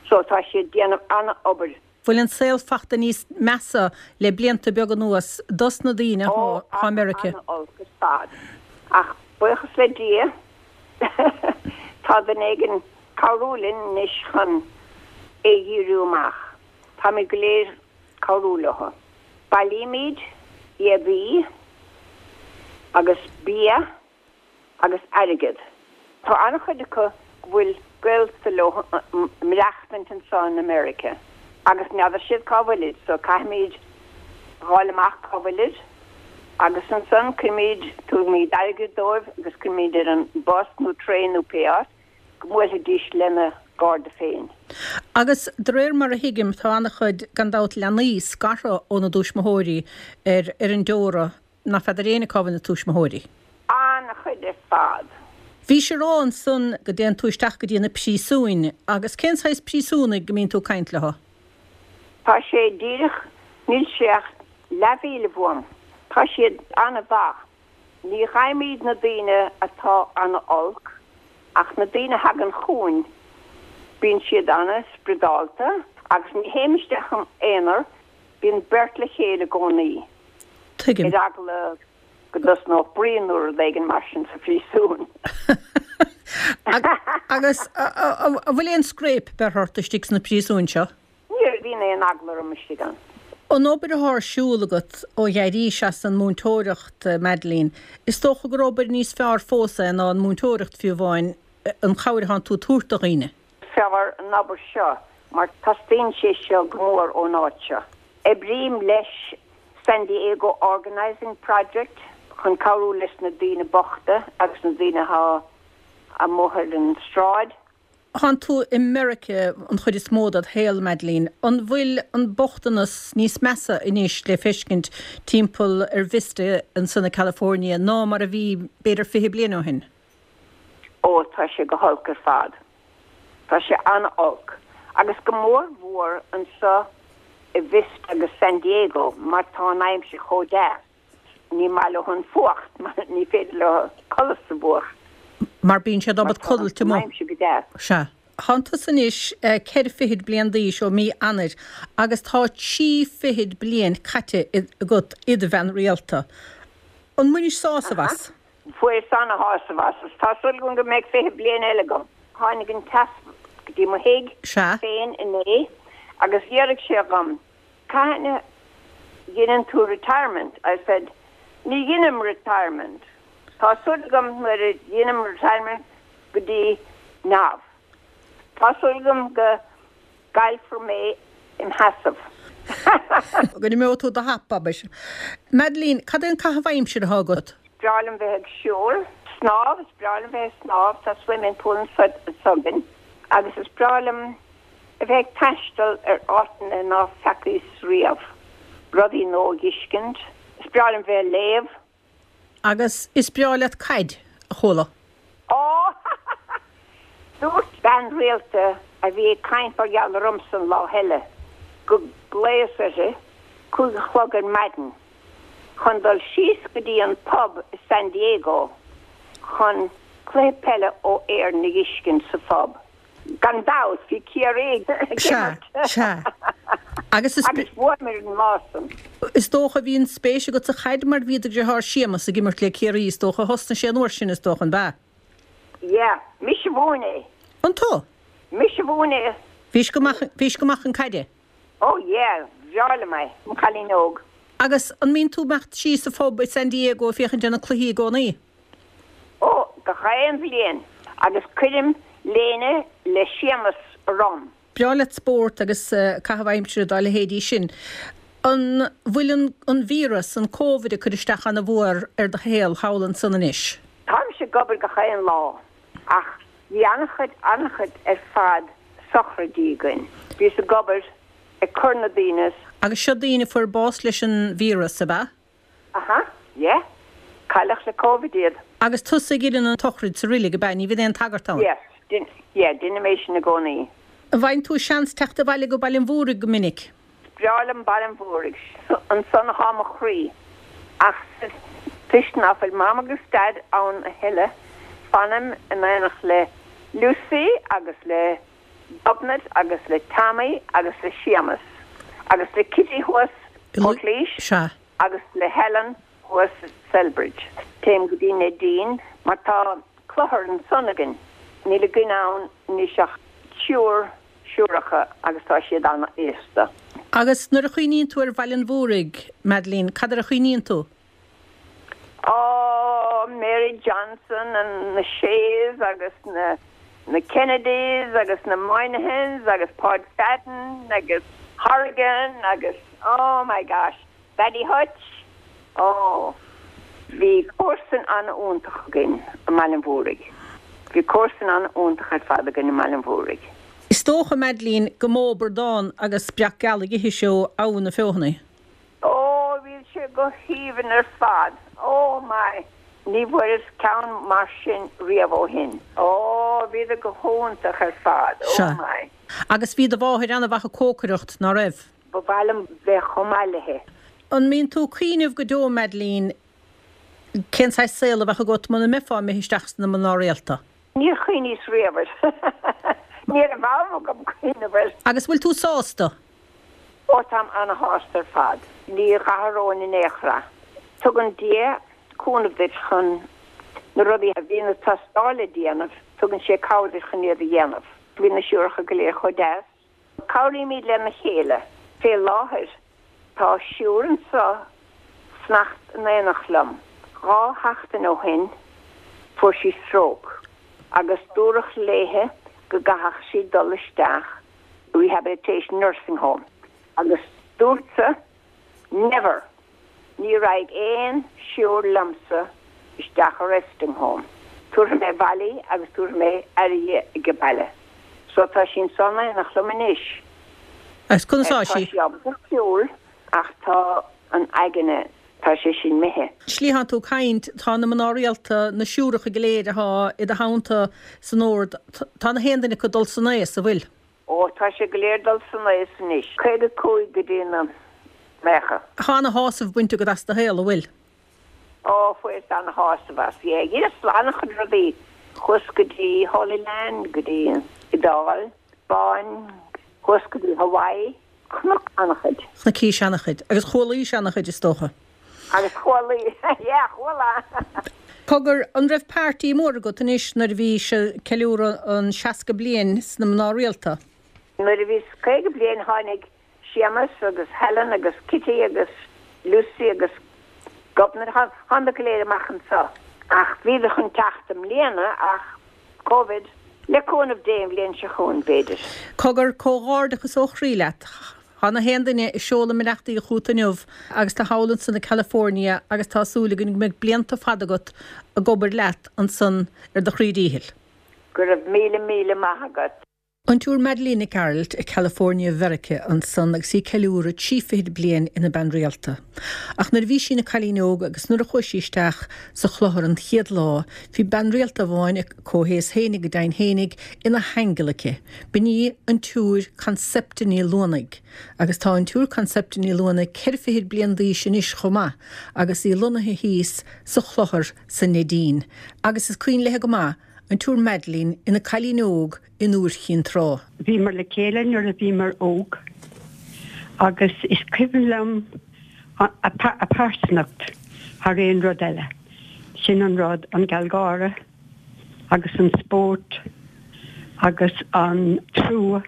So tá siad déanamh an-obair. Bhfuil an saol fachta níos measa le blianta beaga anuas dos na daoine Ó, atá i Meirice? an-olc ar fad. Ach buíochas le Dia tá duine éigin cabhrú linn anois chun é dhíriú amach. Táimid go léir cabhrú leo. Bailímid éadaí agus bia agus airgead. Tá an-chuid acu go bhfuil gaolta leo ag maireachtaint anso in America agus n'fheadar siad cá bhfuilid so caithfimid fháil amach cá bhfuilid agus ansan cuirimid tugaimid airgead dóibh agus cuirimid ar an bus nó traein nó pé áit go mbuailfidís lena gcairde féin. Agus de réir mar a thuigim tá an-chuid gan dabht leanaí scartha óna dtuismitheoirí ar ar an deora nach feadar éinne cá bhfuil na tuismitheoirí. An-chuid ar fad. Bhís ag rá ansan go dtéann tú isteach go dtí na príosúin agus cén saghas príosúnaigh go mbíonn tú ag caint leo? Tá sé díreach, níl sé ach leathmhíle uaim. Tá siad an-mhaith. Ní fhaighimid na daoine atá an-olc ach na daoine a thagann chugainn bíonn siad an-spioradálta agus ní théim isteach im aonar, bíonn beirt le chéile i gcónaí. Tuigim. Ar eagla go dtosnódh bruíon nó rud éigin mar sin sa phríosún. Agus an bhfuil aon scréip beirthe ort istigh sna príosúin seo? Ní bhíonn aon eagla orm istigh ann. An obair atá ar siúl agat ó d'éirís as an múinteoireacht, Madeleine, is dócha gur obair níos fearr fós é ná an múinteoireacht fiú amháin, an chabhair atánn tú ag tabhairt do dhaoine. Fearr an obair seo mar teastaíonn sé seo go mór ón áit seo. Oibrím leis San Diego Organizing Project chun cabhrú leis na daoine bochta agus na daoine atá amuigh ar an sráid. Tánn tú i Meiriceá an chuid is mó dod shaol, Madeleine. An bhfuil an bochtanas níos measa anois le feiscint timpeall ar Vista ansan i California ná mar a bhí b'fhéidir fiche bliain ó shin? Ó, tá sé go holc ar fad. Tá sé an-olc. Agus go mór mhór anso i Vista agus San Diego mar tá an aimsir chomh deas. Ní maith leo an fuacht mar ní féidir leo codladh sa bhfuacht. Mar bíonn siad ábalta codlata aimsir go deas. Sea. Tánn tusa anois ceithre fichid bliain d'aois ó mí Eanáir agus tá trí fichid bliain caite agat i do bhean rialta. An mbainis sásamh as? Fuaireas ana-shásamh as. Tá súil agam go mbeidh fiche bliain eile agam. Tháinig an t-easpag go dtí mo thigh féin inné agus d'fhiafraigh sé dhom, Cathain a dheineann tú retirement? I said, Ní dheinim retirement. Tá súil agam nuair a dheinim retirement go dtí neamh. Tá súil agam go gcaillfear mé im sheasamh. Go n-imeoidh tú do thapa, abair. Madeleine, cad é an caitheamh aimsire atá agat? Is breá liom bheith ag siúl, snámh, is breá liom bheith ag snámh, tá swimming pool anso againn agus is breá liom a bheith ag taisteal ar áiteanna ná feacaís riamh, rudaí nua a dh'fheiscint. Is breá liom bheith ag léamh. Agus is breá leat caid, a chuala. Ó! Dúirt bean rialta a bhí ag caint mar gheall ormsa an lá eile go nglaos uirthi cúig a chlog ar maidin chun dul síos go dtí an pub i San Diego chun cluiche peile ó Éirinn a dh'fheiscint sa phub. Gan dabht, bhí Ciarraí ag Sea, imirt. sea. Agus is. Agus bhuamar an lá san. Is dócha, bhí an spéis agat sa chaid mar bhí do dheartháir Séamus ag imirt le Ciarraí, is dócha. Thosnaigh sé an uair sin, is dócha, an b'ea? Yeah, mise a mhúin é. An tú? Mise a mhúin é. Bhís go maith, bhís go maith chun caide? Oh yeah, bhreá liom é, im chailín óg. Agus an mbíonn tú imeacht síos sa phub i San Diego ag féachaint ar na cluichí i gcónaí? Oh, gach aon bhliain. Agus cuirim léine le Séamus orm. Breá leat spórt agus caitheamh aimsire dá leithéidí sin. An bhfuil an an víreas, an Covid ag cur isteach ana mhór ar do shaol thall ansan anois? Táimse ag obair gach aon lá ach bhí an-chuid, an-chuid ar fad sochraidí againn. Bhíos ag obair ag cur na daoine. Agus seo daoine a fuair bás leis an víreas, ab ea? Aha, yeah. Cailleadh le Covid iad. Agus tusa a dheineann an tsochraid sa reilig, ab ea? Ní bhíonn aon tagart ann? Yes, yeah, deinim é sin i gcónaí. An bhfaigheann tú seans teacht abhaile go Baile an Mhúraigh go minic? Is breá liom Baile an Mhúraigh, ansan athá mo chroí. Ach toisc ná fuil Mam agus Daid ann a thuilleadh, fanaim in éineacht le Lucy agus le Gobnait agus le Tommy agus le Séamus agus le Kitty thuas i Portlaoise agus le Helen thuas i Celbridge. Téim go dtí Neidín mar tá cluthar ansan againn. Níl againn ann anois ach triúr siúracha agus tá siad an-aosta. Agus nuair a chuimhníonn tú ar Bhaile an Mhúraigh, Madeleine, cad air a chuimhníonn tú? Ó, Mary Johnson and na Sheas agus na na Kennedys agus na Moynihans agus Páid Fadden agus Horrigan agus, oh my gosh, Paddy Hutch, oh, bhí comharsain an-iontach againn i mBaile an Mhúraigh. Bhí comharsain an-iontach ar fad againn i mBaile an Mhúraigh. Is dócha, Madeleine, go mó bradán agus breac geal a dh'ithis ó Abha na Feothanaí. Oh, bhí sé go haoibhinn ar fad. Oh my! Ní bhfuaireas ceann mar sin riamh ó shin. Oh, bhíodar go hiontach ar fad. Oh Sea. my! Agus bhí do mháthair an-mhaith ag cócaireacht, ná raibh? Ba mhaith liom bheith chomh maith léi. An mbíonn tú ag cuimhneamh go deo, Madeleine, cén saghas saol a bheadh agat muna mbeifeá imithe isteach sna mná rialta? Níor chuimhníos riamh air. Ní raibh am agam cuimhneamh air. Agus bhfuil tú sásta? Ó, táim ana-shásta ar fad. Ní dh'athróinn in aon chor é. Tugann Dia cúnamh duit chun na rudaí a bhíonn ag teastáil le déanamh, tugann sé cabhair duit chun iad a dhéanamh. Bhí na siúracha go léir chomh deas. Cabhraímid lena chéile. Fé láthair tá siúr anseo ag fanacht in éineacht liom. Dhá sheachtain ó shin fuair sí stróc agus dúradh léithe go gcaithfeadh sí dul isteach rehabilitation nursing home agus dúrtsa never! Ní raghaidh aon siúr liomsa isteach i resting home. Tabharfaidh mé abhaile í agus tabharfaidh mé aire di ag baile. So tá sí anso in éineacht liom anois. Agus conas tá Tá sí? sí ábalta siúl ach tá an aigne, tá sé sin imithe. Slí thánn tú ag caint, tá na mná rialta, na siúracha go léir athá i do theannta san ord, tá na haon duine acu ag dul san aos, a bhfuil? Ó, tá sé go léir dul san aos anois. Caoga cúig go dtí na naocha. Tá ana-shásamh bainte agat as do shaol, a bhfuil? Ó, fuaireas ana-shásamh as, yeah. Dheineas an-chuid rudaí. Chuas go dtí Holy Land, go dtí Iodáil, Spáinn, thuas go dtí Hawaii, chonac an-chuid. Chonaicís an-chuid. Agus chualaís an-chuid is dócha. Agus chualaí, yeah, chuala! Cogar, an raibh party mór agat anois nuair a bhí sibh ag ceiliúradh an seasca bliain sna mná rialta? Nuair a bhíos caoga bliain tháinig Séamus agus Helen agus Kitty agus Lucy agus Gobnait, thánadar go léir amach anseo. Ach bhíodar chun teacht i mbliana ach Covid, le cúnamh Dé an bhliain seo chugainn b'fhéidir. Cogar, comhghairdeachas ó chroí leat. Tá na haon duine ag seoladh a mbeannachtaí chugat inniu agus tú thall ansan i California agus tá súil againn go mbeidh blianta fada agat ag obair leat ansan ar do chroí díchill. Go raibh míle míle maith agat. An tSiúr Madeleine Nic Gearailt i California Mheiriceá ansan agus í ag ceiliúradh trí fichid bliain ina bean rialta. Ach nuair a bhí sí ina cailín óg agus nuair a chuaigh sí isteach sa chlochar an chéad lá, bhí bean rialta amháin a comhaois fhéinig go deimhin fhéinig ina haingeal aici. B'in í an tSiúr Concepta Ní Luanaigh. Agus tá an tSiúr Concepta Ní Luanaigh ceithre fichid bliain d'aois anois chomh maith agus í lonnaithe thíos sa chlochar sa Neidín. Agus is cuimhin léi go maith an tSiúr Madeleine ina cailín óg in Iúr Chinn Trá. Bhíomar le chéile nuair a bhíomar óg agus is cuimhin liom a pearsanacht thar aon rud eile. Sin an rud, an gealgháire agus an spórt agus an trua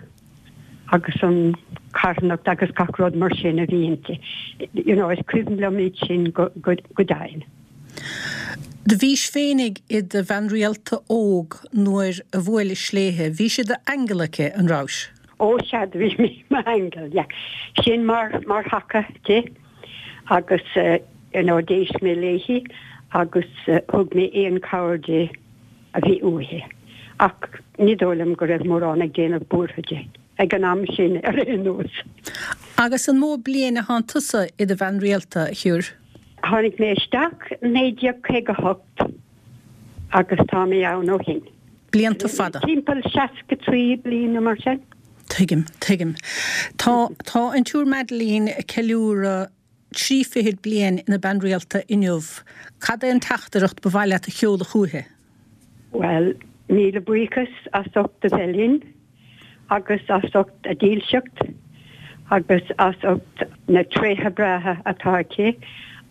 agus an carthanacht agus gach rud mar sin a bhí inti. You know, is cuimhin liom iad sin go, go, go deimhin. Do bhís féinig i do bhean rialta óg nuair a bhuailis léithe. Bhís i d'aingeal aici, an rabhais? Ó sea, do bhí mé i m'aingeal, yeah. Sin mar, mar thaca di agus you know, d'éist mé léi agus thug mé aon cabhair di a bhí uaithi. Ach ní dóigh liom go raibh mórán ag déanamh buartha di ag an am sin ar aon nós. Agus an mó bliain a thánn tusa i do bhean rialta, a Shiúr? Tháinig mé isteach naoi déag caoga hocht agus tá mé ann ó shin. Blianta fada. Timpeall seasca trí bliain nó mar sin. Tuigim, tuigim. Tá, tá an tSiúr Madeleine ag ceiliúradh trí fichid bliain ina bean rialta inniu. Cad é an teachtaireacht ba mhaith leat a sheoladh chúithi? Bhuel, míle buíochas as ucht a bheith linn agus as ucht a dílseacht agus as ucht na tréithe breátha atá aici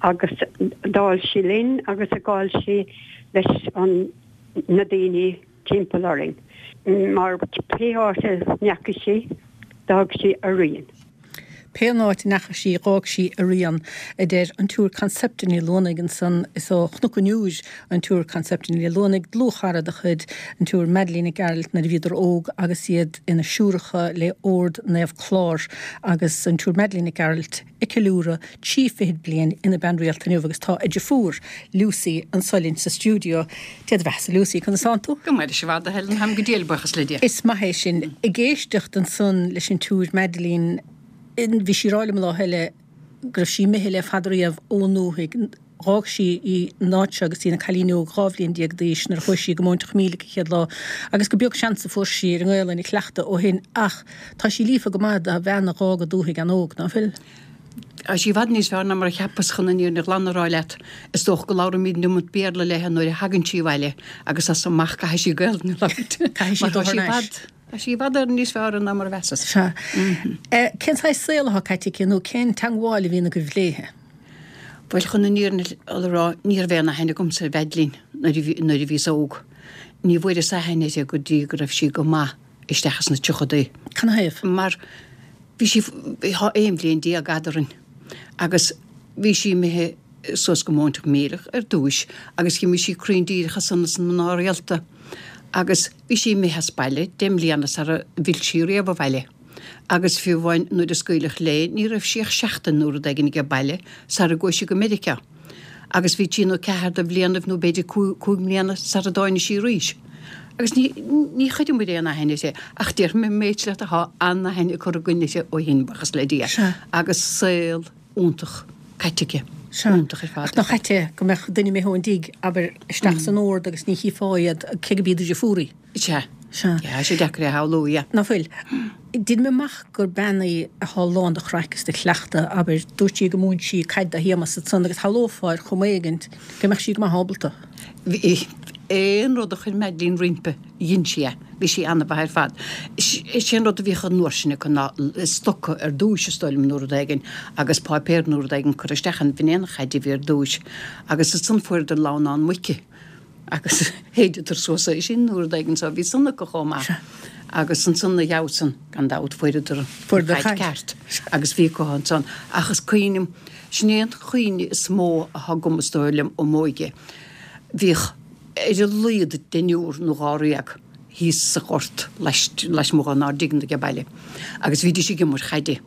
agus d'fháil sí linn agus a d'fháil sí leis an na daoine timpeall orainn. Mar pé áit a ndeachaigh sí, d'fhág sí a rian. Pé áit a ndeachaigh sí, dh'fhág sí a rian, a deir an tSiúr Concepta Ní Luanaigh ansan. Is ó Chnoc an Iúir an tSiúr Concepta Ní Luanaigh, dlúthchara de chuid an tSiúr Madeleine Nic Gearailt nuair a bhíodar óg agus iad ina siúracha le Ord Naomh Clár agus an tSiúr Madeleine Nic Gearailt ag ceiliúradh trí fichid bliain ina bean rialta inniu agus tá a deirfiúr, Lucy, anso linn sa stiúideo. Dé do bheathasa Lucy, conas tánn tú? Go maith leis an bhfada, Helen, táim go diail, buíochas le Dia. Is maith é sin. Ag éisteacht ansan leis an tSiúr Madeleine, bhí sí ag rá liom lá eile go raibh sí imithe le fada riamh ón ndúthaigh. Dh'fhág sí an áit seo agus í ina cailín óg dhá bhliain déag d'aois nuair a chuaigh sí go Móinteach Mílic an chéad lá agus gur beag seans a fuair sí ar an nGaelainn a chleachtadh ó shin ach tá sí líofa go maith do bhean a dh'fhág a dúthaigh an-óg, ná fuil? Tá sí i bhfad níos fearr ná mar a cheapas chun an fhírinne ghlan a rá leat. Is dócha go labhraímid an iomad Béarla léi nuair a thagann sí abhaile agus as amach caithfidh sí Gaelainn a labhairt. Caithfidh sí Mar tá dul thar sí i n-ais. bhfad Tá sí i bhfad Éireann níos fearr ná mar a mheasas. Sea. Cén saghas saol atá caite aici nó cén teangmháil a bhíonn agaibh léithe? Bhuel, chun an fhírinne a rá, ní raibh aon aithne agamsa ar Mhadeline nuair a bhíos óg. Ní bhfuaireas aithne uirthi go dtí go raibh sí go maith isteach sna tríochadaí. Canathaobh? Mar bhí sí, tá aon bhliain déag eadrainn agus bhí sí imithe suas go Móinteach Míleach ar dtúis agus d'imigh sí cruinn díreach as san sna mná rialta. Agus bhí sí imithe as baile deich mbliana sara bhfill sí riamh abhaile. Agus fiú amháin nuair a scaoileadh léi ní raibh sí ach seachtain nó rud éigin aige baile sara gcuaigh sí go Meiriceá. Agus bhí trí nó ceathair de bhlianaibh nó b'fhéidir cúig mbliana sara dtáinig sí arís. Agus ní ní chuireamair aon aithne uirthi ach déarfaidh mé an méid leat atá an-aithne curtha againn uirthi ó shin, buíochas le Dia. Sea. Agus saol iontach caite aici. Sea. Iontach ar fad. Ach nach ait é go mbeadh duine imithe ón dtigh, abair, isteach san ord agus ní chífeá iad, cé go b'iad do dheirfiúr í. Sea. Sea. Yeah, tá sé deacair é a shamhlú, yeah. Ná fuil? Deinim amach gur bean í athá lán de chraic is de chleachtadh, abair, dúirt sí go múin sí caid do Shéamas ansan agus shamhlófá ar chuma éigint go mbeadh sí go maith ábalta. Bhí, Aon rud a chuir Madeline roimpi, dhein sí é. Bhí sí ana-mhaith ar fad. Is é an rud a bhíodh an uair sin acu ná stoca ar dtúis, is dóigh liom, nó rud éigin, agus páipéar nó rud éigin curtha isteach ann. B'in é an chaid a bhí ar dtúis. Agus ansan fuaireadar lamhnán muice agus shéideadar suas é sin nó rud éigin so bhí san acu chomh maith. Agus ansan ina dhiaidh san, gan dabht, fuaireadar an chaid ceart agus bhí acu ansan. Ach is cuimhin liom, sin é an chuimhne is mó atá agam, is dóigh liom, ó m'óige. Bhíodh ar a laghad deichniúr nó dháréag thíos sa ghort lasmuigh dhár dtigh age baile agus bhídís ag imirt chaide.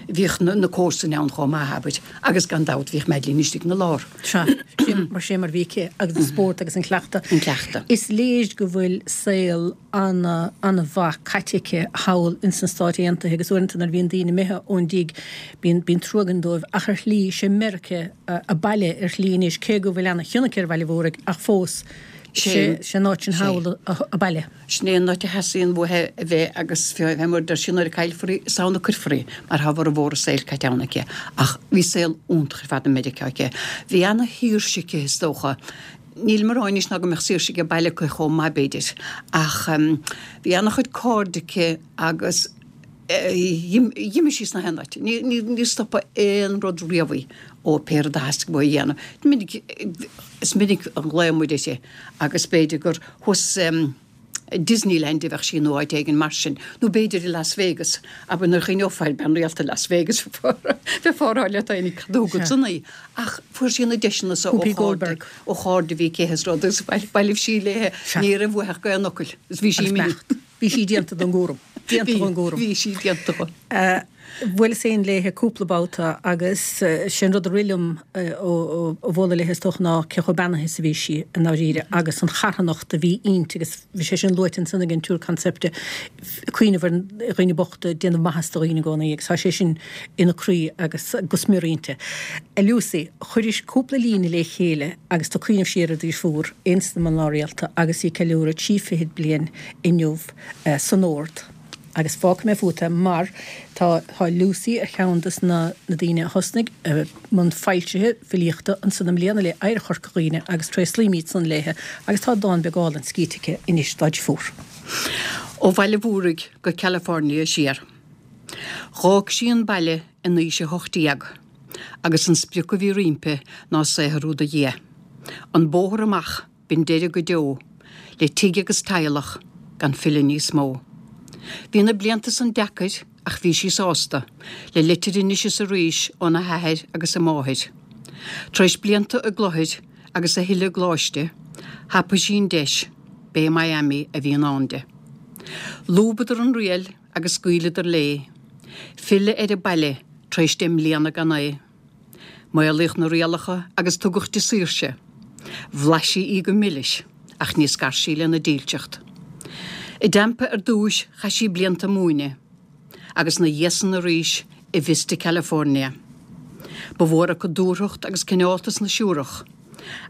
Bhíodh na comharsana ann chomh maith, abair, agus gan dabht bhíodh Madeline istigh ina lár. Sea, sin mar sin mar bhí aici agus an spórt agus an cleachtadh. An cleachtadh. Is léir go bhfuil saol ana, ana-mhaith caite aici thall ins na Stáit Aontaithe agus uaireanta nuair a bhíonn daoine imithe ón dtigh bíonn, bíonn trua againn dóibh ach ar shlí, sé Meiriceá a baile ar shlí anois cé go bhfuil ana chion aici ar Bhaile Mhúraigh ach fós sé, sé an áit sin thall a baile. Sin é an áit a theastaíonn uaithi a bheith agus fé mar a deir sí nuair a caillfear í, is ann a cuirfear í mar tá formhór a saoil caite ann aici. Ach bhí saol iontach ar fad i Meiriceá aici. Bhí ana-shaoirse aici is dócha. Nílim ag rá anois ná go mbeadh saoirse age baile aici chomh maith b'fhéidir ach bhí ana-chuid cairde aici agus d'imigh sí sna haon áit. Níor stopadh aon rud riamh í ó pé rud a theastaigh uaithi a dhéanamh. Minic, is minic a ghlaoigh muid uirthi agus b'fhéidir gur thuas i Disneyland a bheadh sí nó áit éigin mar sin, nó b'fhéidir i Las Vegas, abair nuair a chuimhneofá ar bean rialta Las Vegas, bheifeá ag rá leat féin cad a thug ansan í. Ach fuair sí na deiseanna so ó chairde, ó chairde a bhí aici is rud agus bhailibh sí léi, ní raibh uaithi ach aon fhocal is bhí sí imithe. Bhí sí déanta don gcúram. Déanta don gcúram. Bhí sí déanta dó. Bhuaileas féin léithe cúpla babhta agus sé an rud a rith liom ó bhualadh léithe is dócha ná cé chomh beannaithe is a bhí sí i ndáiríre agus an charthanacht a bhí inti agus bhí sé sin luaite ansan ag an tSiúr Concepta, cuimhneamh ar dhaoine bochta, déanamh maitheas do dhaoine i gcónaí agus tá sé sin ina croí agus go smior inti. A Lucy, chuiris cúpla líne le chéile agus tú ag cuimhneamh siar ar do dheirfiúr ins na mná rialta agus í ag ceiliúradh trí fichid bliain inniu san ord. Agus fágfaidh mé fút é mar tá tá Lucy ar cheann des na na daoine a thosnaigh i mbun foilsithe filíochta ansan i mbliana le Oidhreacht Chorca Dhuibhne agus tréaslaímid san léithe agus tá dán beag álainn scríte aici anois dá deirfiúr. Ó Bhaile Mhúraigh go California siar. Dh'fhág sí an baile in aois a hocht déag agus an sprioc a bhí roimpi ná saothrú do Dhia. An bóthar amach b'in deireadh go deo le tigh agus teaghlach gan filleadh níos mó. Bhí na blianta san deacair ach bhí sí sásta, le litir anois is arís óna hathair agus a máthair. Tar éis blianta i gclochair agus a thuilleadh i gcoláiste, thapaigh sí an deis, b'é Miami a bhí i ndán di. Lúbadar an riail agus scaoileadar léi, filleadh ar an baile tar éis deich mbliana gan é. Maolaíodh na rialacha agus tugadh di saoirse. Bhlais sí í go milis, ach ní scar sí lena dílseacht. I dTampa ar dtúis chaith sí blianta ag múineadh, agus 'na dhiaidh san arís i Vista California. Ba mhór acu dúthracht agus cineáltas na siúrach,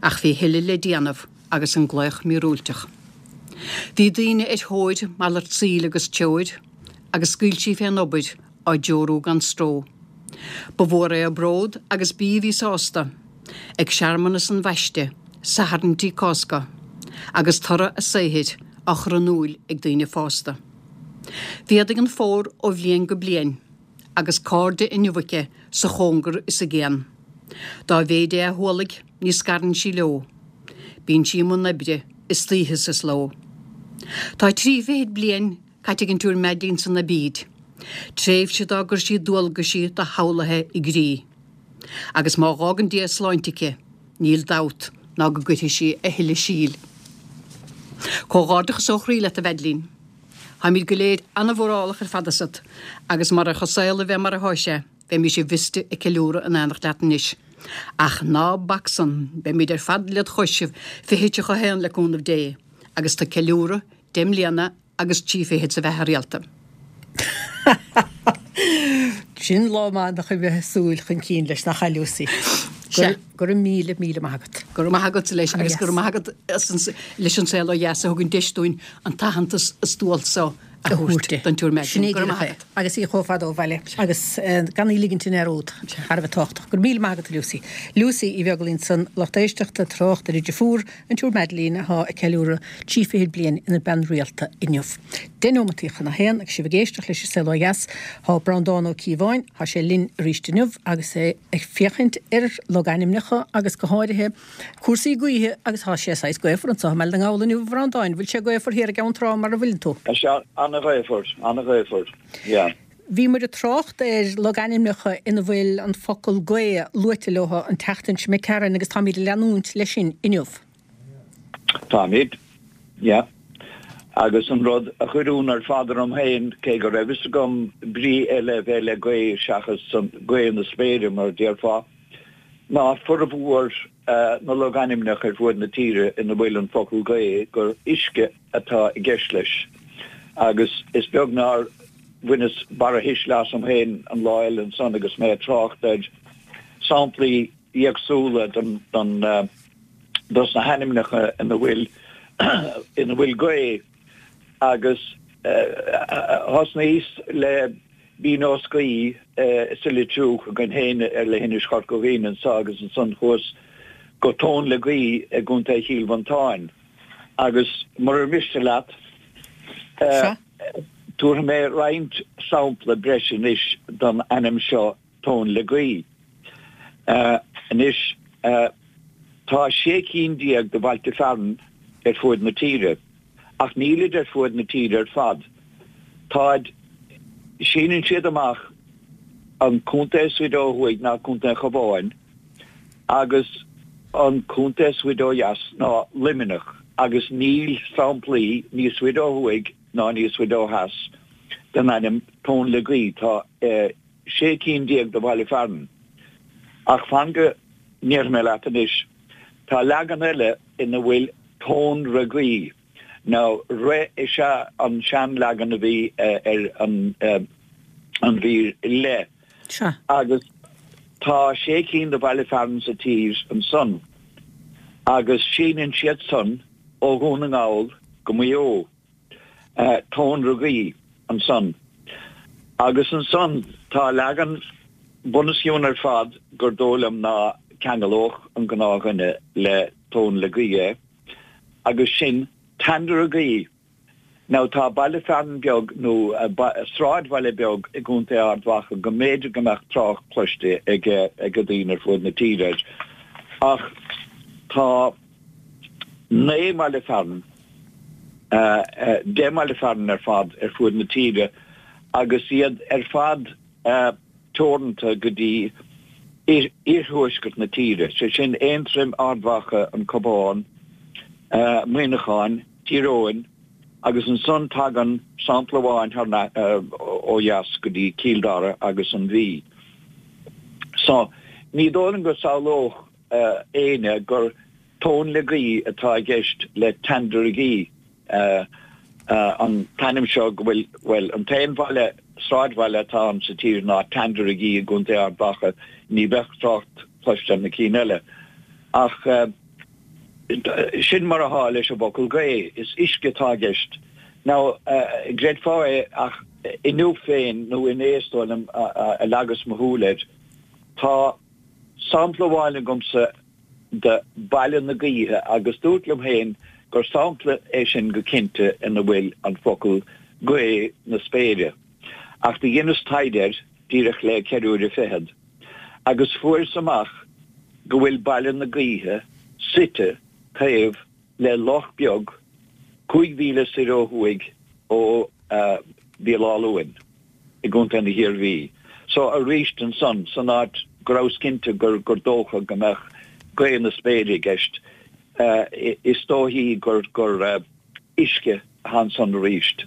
ach bhí a thuilleadh le déanamh agus an glaoch míorúilteach. Bhí daoine ar thóir malairt saoil agus treoir, agus scaoil sí fén obair á dtreorú gan stró. Ba mhór é a bród agus b'í a bhí sásta ag searmanas an bhaiste, Satharn Cásca, agus toradh a saothair á chur in iúil ag daoine fásta. Mhéadaigh an fómhar ó bhliain go bliain agus cairde inniu aici sa chóngar is i gcian. Dá mhéid é a hualaigh ní scarann sí leo. Bíonn sí i mbun oibre istoíche 's is ló. Tá trí fichid bliain caite ag an tSiúr Madeline san aibíd, tréimhse dár gcuir sí dualgaisí doshamhlaithe i gcrích. Agus má dh'fhágann Dia sláinte aici, níl dabht ná go gcuirfidh sí a thuilleadh síl. Comhghairdeachas ó chroí leat, a Mhadeline. Táimid go léir an-mhórálach ar fad asat, agus marach an saol a bheith mar athá sé, bheimís i Vista ag ceiliúradh in éineacht leat anois. Ach ná bac san, beimid ar fad led chois i fiche tríocha a haon le cúnamh Dé, agus tú ag ceiliúradh deich mbliana agus trí fichid sa bheatha rialta. Sin lá maith nach bheith ag súil chun cinn leis, nach ea, Lucy? Sea. Go raibh míle, míle maith agat. Go raibh maith agatsa leis agus go raibh maith agat leis An Saol Ó Dheas a thugann deis dúinn an t-aitheantas is dual so a thabhairt don tSiúr Madeline. Go raibh maith agat. Agus í chomh fada ó bhaile agus gan í ligint i ndearúd. Thar a bheith tábhachtach. Go raibh míle maith agat a Lucy. Lucy Uí Bheaglaoich ansan, lucht éisteachta, trácht ar a deirfiúr, an tSiúr Madeline, atá ag ceiliúradh trí fichid bliain ina bean rialta inniu. Deich nóimeataí chun a haon agus sibh ag éisteacht leis an Saol Ó Dheas. Tá Breandán Ó Cíobháin, tá sé linn arís inniu agus é ag féachaint ar logainmneacha agus go háirithe cúrsaí gaoithe agus tá sé saghas gaofar anseo i mBaile na nGall inniu a Bhreandáin. Bhfuil sé gaofar thiar i gCeann Trá mar a bhfuileann tú? Tá sé an-ghaofar, an-ghaofar, yeah. Bhí muid ag trácht ar logainmneacha ina bhfuil an focal gaoth luaite leo an tseachtain seo imigh tharainn agus táimid ag leanúint leis sin inniu. Táimid, yeah. Agus an rud a chuir ionadh ar fad orm féin, cé go raibh fhios agam brí eile a bheith le gaoth seachas an gaoth na spéire mar a déarfá, ná formhór na logainmneacha ar fuaid na tíre ina bhfuil an focal gaoth gur uisce atá i gceist leis. Agus is beag nár bhaineas barrathuisle asam féin an lá eile ansan agus mé ag trácht ar samplaí éagsúla den den dos na hainmneacha ina bhfuil ina bhfuil gaoth agus thosnaíos le Binn Eoscaí sa litriú againn féin ar leithinis Chorca Dhuibhne anso agus ansan chuas go Tóin le Gaoith i gContae Chill Mhantáin agus murar mhiste leat tabharfaidh mé roinnt sampla breise anois don ainm seo Tóin le Gaoith. Anois tá sé cinn déag de bhailte fearainn ar fuaid na tíre, ach nílid ar fuaid na tíre ar fad. Táid, síneann siad amach an contae is faide ó thuaidh ná Contae an Chabháin agus an contae is faide ó dheas ná Luimneach agus níl samplaí níos faide ó thuaidh ná níos faide ó theas den ainm Tóin le Gaoith. Tá sé cinn déag de bhaile fearainn. Ach fan go ndéarfaidh mé leat anois, tá leagan eile ina bhfuil Tóin re Gaoith. Now, re is ea an seanleagan a bhí ar an an mhír le. Sea. Agus tá sé cinn de bhaile fearainn sa tír ansan agus síneann siad san ó Dhún na nGall go Maigh Eo. Tóin re Gaoith ansan. Agus ansan tá leagan bunoscionn ar fad gur dóigh liom ná ceangalódh an gnáthdhuine le Tóin le Gaoith é, agus sin Tandragee. Now tá baile fearainn beag nó sráidbhaile beag i gContae Ard Mhacha go mb'fhéidir go mbeadh trácht cloiste ag ag daoine ar fuaid na tíre air. Ach tá naoi mbaile fearainn, deich mbaile fearainn ar fad ar fuaid na tíre agus iad ar fad teoranta go dtí iarthuaisceart na tíre, sé sin Aontroim, Ard Mhacha, an Cabhán, Muineachán, Tír Eoghain agus ansan tagann sampla amháin thar ó dheas go dtí Cill Dara agus an Mhí. So, ní dóigh liom go samhlódh éinne gur tóin le gaoith atá i gceist le Tandragee. An t-ainm seo go bhfuil, bhuel, an t-aon bhaile, sráidbhaile atá ann sa tír ná Tandragee i gContae Ard Mhacha, ní bheadh trácht cloiste ar na cinn eile. Ach sin mar atá leis an bhfocal gaoth, is uisce atá i gceist. Now, gcreidfeá é ach inniu féin, nó inné is dóigh liom a leagas mo shúil air, tá sampla amháin agamsa de Baile na Gaoithe agus dúrt liom féin gur sampla é sin go cinnte ina bhfuil an focal gaoth na spéire. Ach do dheineas taighde air díreach le ceithre huaire fichead agus fuaireas amach go bhfuil Baile na Gaoithe suite taobh le loch beag cúig mhíle soir ó thuaidh ó Bhéal Átha Luain i gContae na hIarmhí. So aríst ansan, san áit go rabhas cinnte gur gur dócha go mbeadh gaoth na spéire i gceist, is dóichí gur gur uisce atá ansan aríst.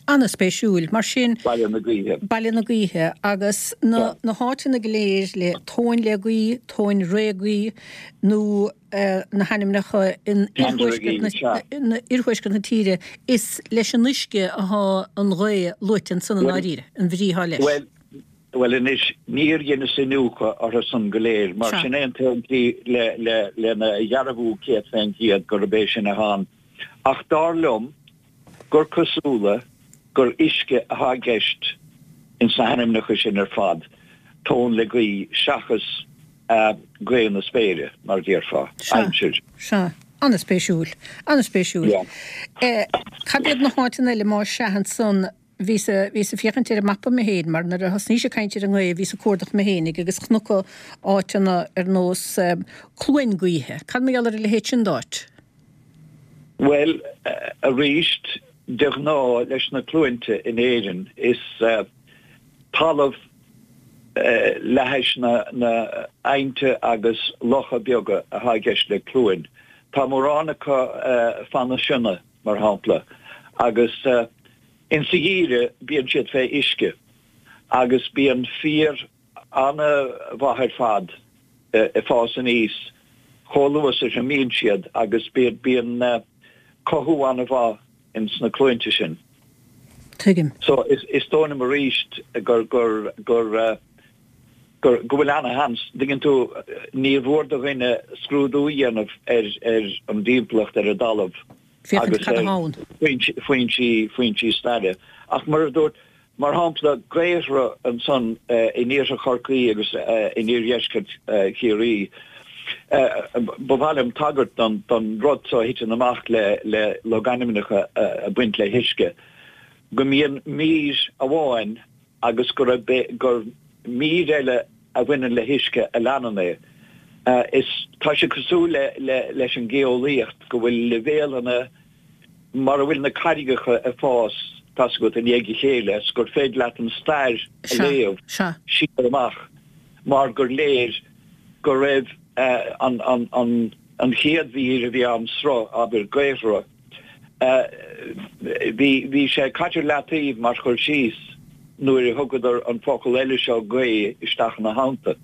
An-spéisiúil. Mar sin. Baile na Gaoithe. Baile na Gaoithe. Agus na na háiteanna go léir le Tóin le Gaoith, Tóin Ré Gaoith nó na hainmneacha in iarthuaisceart na tíre, is leis an uisce atá an ghaoth luaite ansan i ndáiríre, an bhrí atá leis. Bhuel, bhuel anois, níor dheineas iniúchadh orthu san go léir, mar sin é an t-aon tslí lena dhearbhú céad fén gcéad gurb é sin atá ann. Ach dar liom gur cosúla gur uisce atá i gceist ins na hainmneacha sin ar fad, tóin le gaoth seachas gaoth na spéire, mar a déarfá, aimsir. Sea. An-spéisiúil. An-spéisiúil. Cad iad na háiteanna eile más ea ansan? Bhíos bhíos ag féachaint ar an mapa mé féin mar nuair a thosnaís ag caint ar an ngaoth bhíos ag cuardach mé féinig agus chonac áiteanna ar nós Cluain Gaoithe. Cad mar gheall ar a leithéid sin d'áit? Bhuel, aríst, de ghnáth leis na cluainte in Éirinn is talamh le hais na n-aibhnte agus locha beaga atá i gceist le cluain. Tá mórán acu fan na Sionna, mar shampla, agus insa gheimhreadh bíonn siad fé uisce agus bíonn féar ana-mhaith ar fad ag fás aníos chomh luath is a thriomaíonn siad agus bíonn cothú ana-mhaith ins na cluainte sin. Tuigim. So is dóigh liom arís gur gur gur gur go bhfuil ana-sheans, dtuigeann tú, níor mhór do dhuine scrúdú a dhéanamh ar ar an dtimpeallacht ar an dtalamh Féachaint agus cad ar atá ann. foinsí foinsí staire. Ach mar a dúirt, mar shampla, Gaothra ansan in iarthar Chorcaí agus in iardheisceart Chiarraí, ba mhaith liom tagairt don don rud so a thiteann amach le le logainmneacha ag baint le huisce, go mbíonn mír amháin agus gur gur mír eile a bhaineann le huisce a leanann é. Is tá sé cosúil le le leis an geolaíocht go bhfuil leibhéalanna mar a bhfuil na carraigeacha ag fás, tá's agat, i ndiaidh a chéile is gur féidir leat an stair a Sea, léamh sea. siar amach mar gur léir go raibh an an an an chéad mhír a bhí ann, sruth, abair, gaothra, Bhí, bhí sé caite ar leataobh mar chur síos nuair a thugadar an focal eile seo gaoth isteach ina theannta.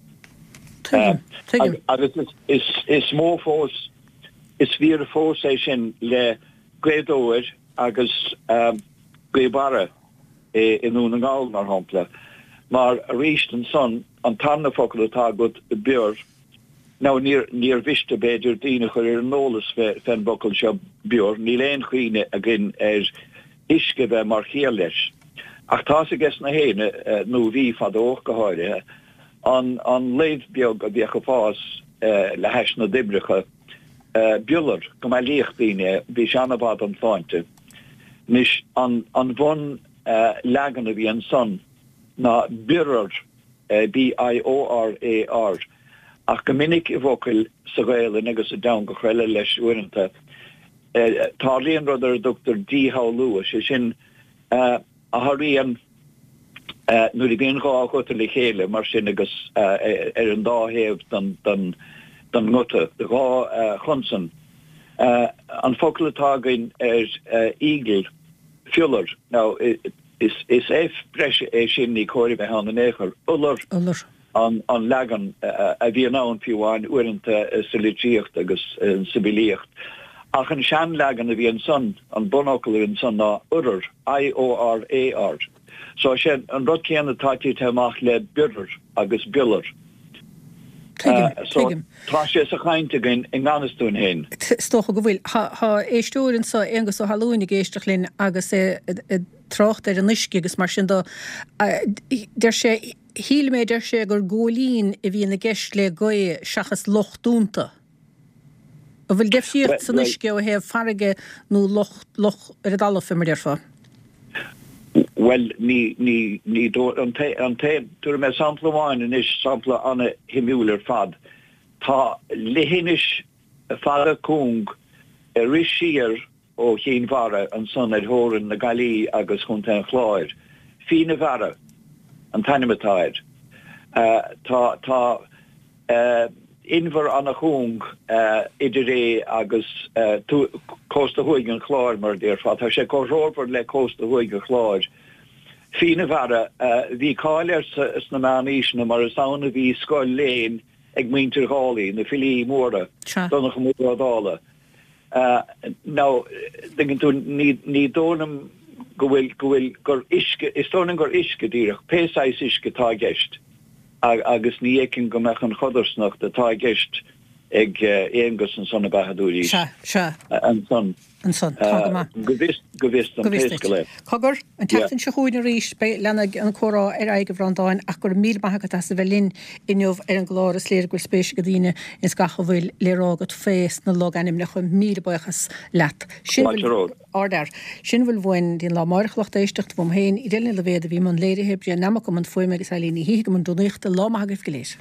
Tuigim, tuigim. Agus is, is mó fós, is fíor fós é sin le Gaoth Dobhair agus Gaoth Barra i nDún na nGall, mar shampla, mar arís ansan an tarna focal atá agat, bior, Now níor, níor mhiste b'fhéidir daoine a chur ar an eolas fén bhfocal seo bior, níl aon chuimhne againn ar uisce a bheith mar chiall leis. Ach tá's ages na héinne, nó bhí fadó ach go háirithe, an, an luibh beag a bhíodh ag fás le hais na dtoibreacha, biolar, go mbailíodh daoine é, bhí sé ana-mhaith don tsláinte. Anois, an, an bhun leagan a bhí ansan ná biorar, B-i-o-r-a-r, ach go minic i bhfocail sa Ghaelainn agus i dteangacha eile leis uaireanta, tarlaíonn rud ar a dtugtar díshamhlú, is é sin a tharlaíonn nuair a bhíonn dhá ghuta le chéile mar sin agus ar an dá thaobh den nguta, dhá chonsan. An focal atá againn ar eagle, fiolar, now, Is F breise é sin, ní cóir a bheith ann in aon chor. Iolar an leagan a bhíonn ann fiú amháin uaireanta sa litríocht agus sa bhfilíocht. Ach an seanleagan a bhí ansan, an bunfhocal a bhí ansan ná iorar, I-O-R-A-R. So is é an rud céanna atá tite amach le biorar agus biolar. Tuigim, So tuigim. tá sé sa chaint againn i ngan fhios dúinn féin. Is dócha go bhfuil. Tá éisteoir anso, Aonghus Ó hAlúin, ag éisteacht linn agus é ag trácht ar an uisce agus mar sin de. Deir sé, shíl mé, deir sé, gur góilín a bhíonn i gceist le gaoth seachas loch dúnta. An bhfuil deifríocht san uisce ó thaobh farraige nó loch, loch ar an dtalamh, fé mar a déarfá? Bhuel, ní, ní, ní dóigh, an t-, an t-, tabharfaidh mé sampla amháin anois, sampla ana-shuimiúil ar fad. Tá leithinis fada cúng ag rith siar ó Chinn Mhara ansan ar theorainn na Gaillimhe agus Chontae an Chláir. Fíona Mhara an t-ainm atá air. Tá, tá inbhear ana-chúng idir é agus cósta thuaidh an Chláir, mar a déarfá. Tá sé comhthreomhar le cósta thuaidh an Chláir. Fíona Mhara, bhí cáil air sna meánaoiseanna mar is ann a bhí scoil léinn ag muintir Dhálaigh, na filí móra, Donnchadh Mór Ó Dálaigh. Now, dtuigeann tú, ní, ní dóigh liom go bhfuil, go bhfuil, gur uisce, is dóigh liom gur uisce díreach, pé saghas uisce atá i gceist agus ní fheicim go mbeadh an chodarsnacht atá i gceist ag Aonghus ansan ab ea a dúraís. Sea, sea. Ansan. Ansan, tá go maith. Go bhfios, go bhfios dom Go bhfios pé duit. scéal é. Cogar, an tseachtain seo chugainn arís, beidh, leanfaidh an comhrá ar aghaidh a Bhreandáin ach go raibh míle maith agat as a bheith linn inniu ar an gclár. Is léir go bhfuil spéis ag daoine ins gach a bhfuil le rá agat fé sna logainmneacha. Míle buíochas leat. Sin Fáilte romhat. Ardfhear. Sin a bhfuil uainn go dtí an lá amárach a lucht éisteachta uaim féin, Edel Ní Loibhéad a bhí i mbun léirithe, Brian Nammock i mbun fuaime agus Eileen Ní Shíthigh i mbun rúnaíochta. Lá maith agaibh go léir.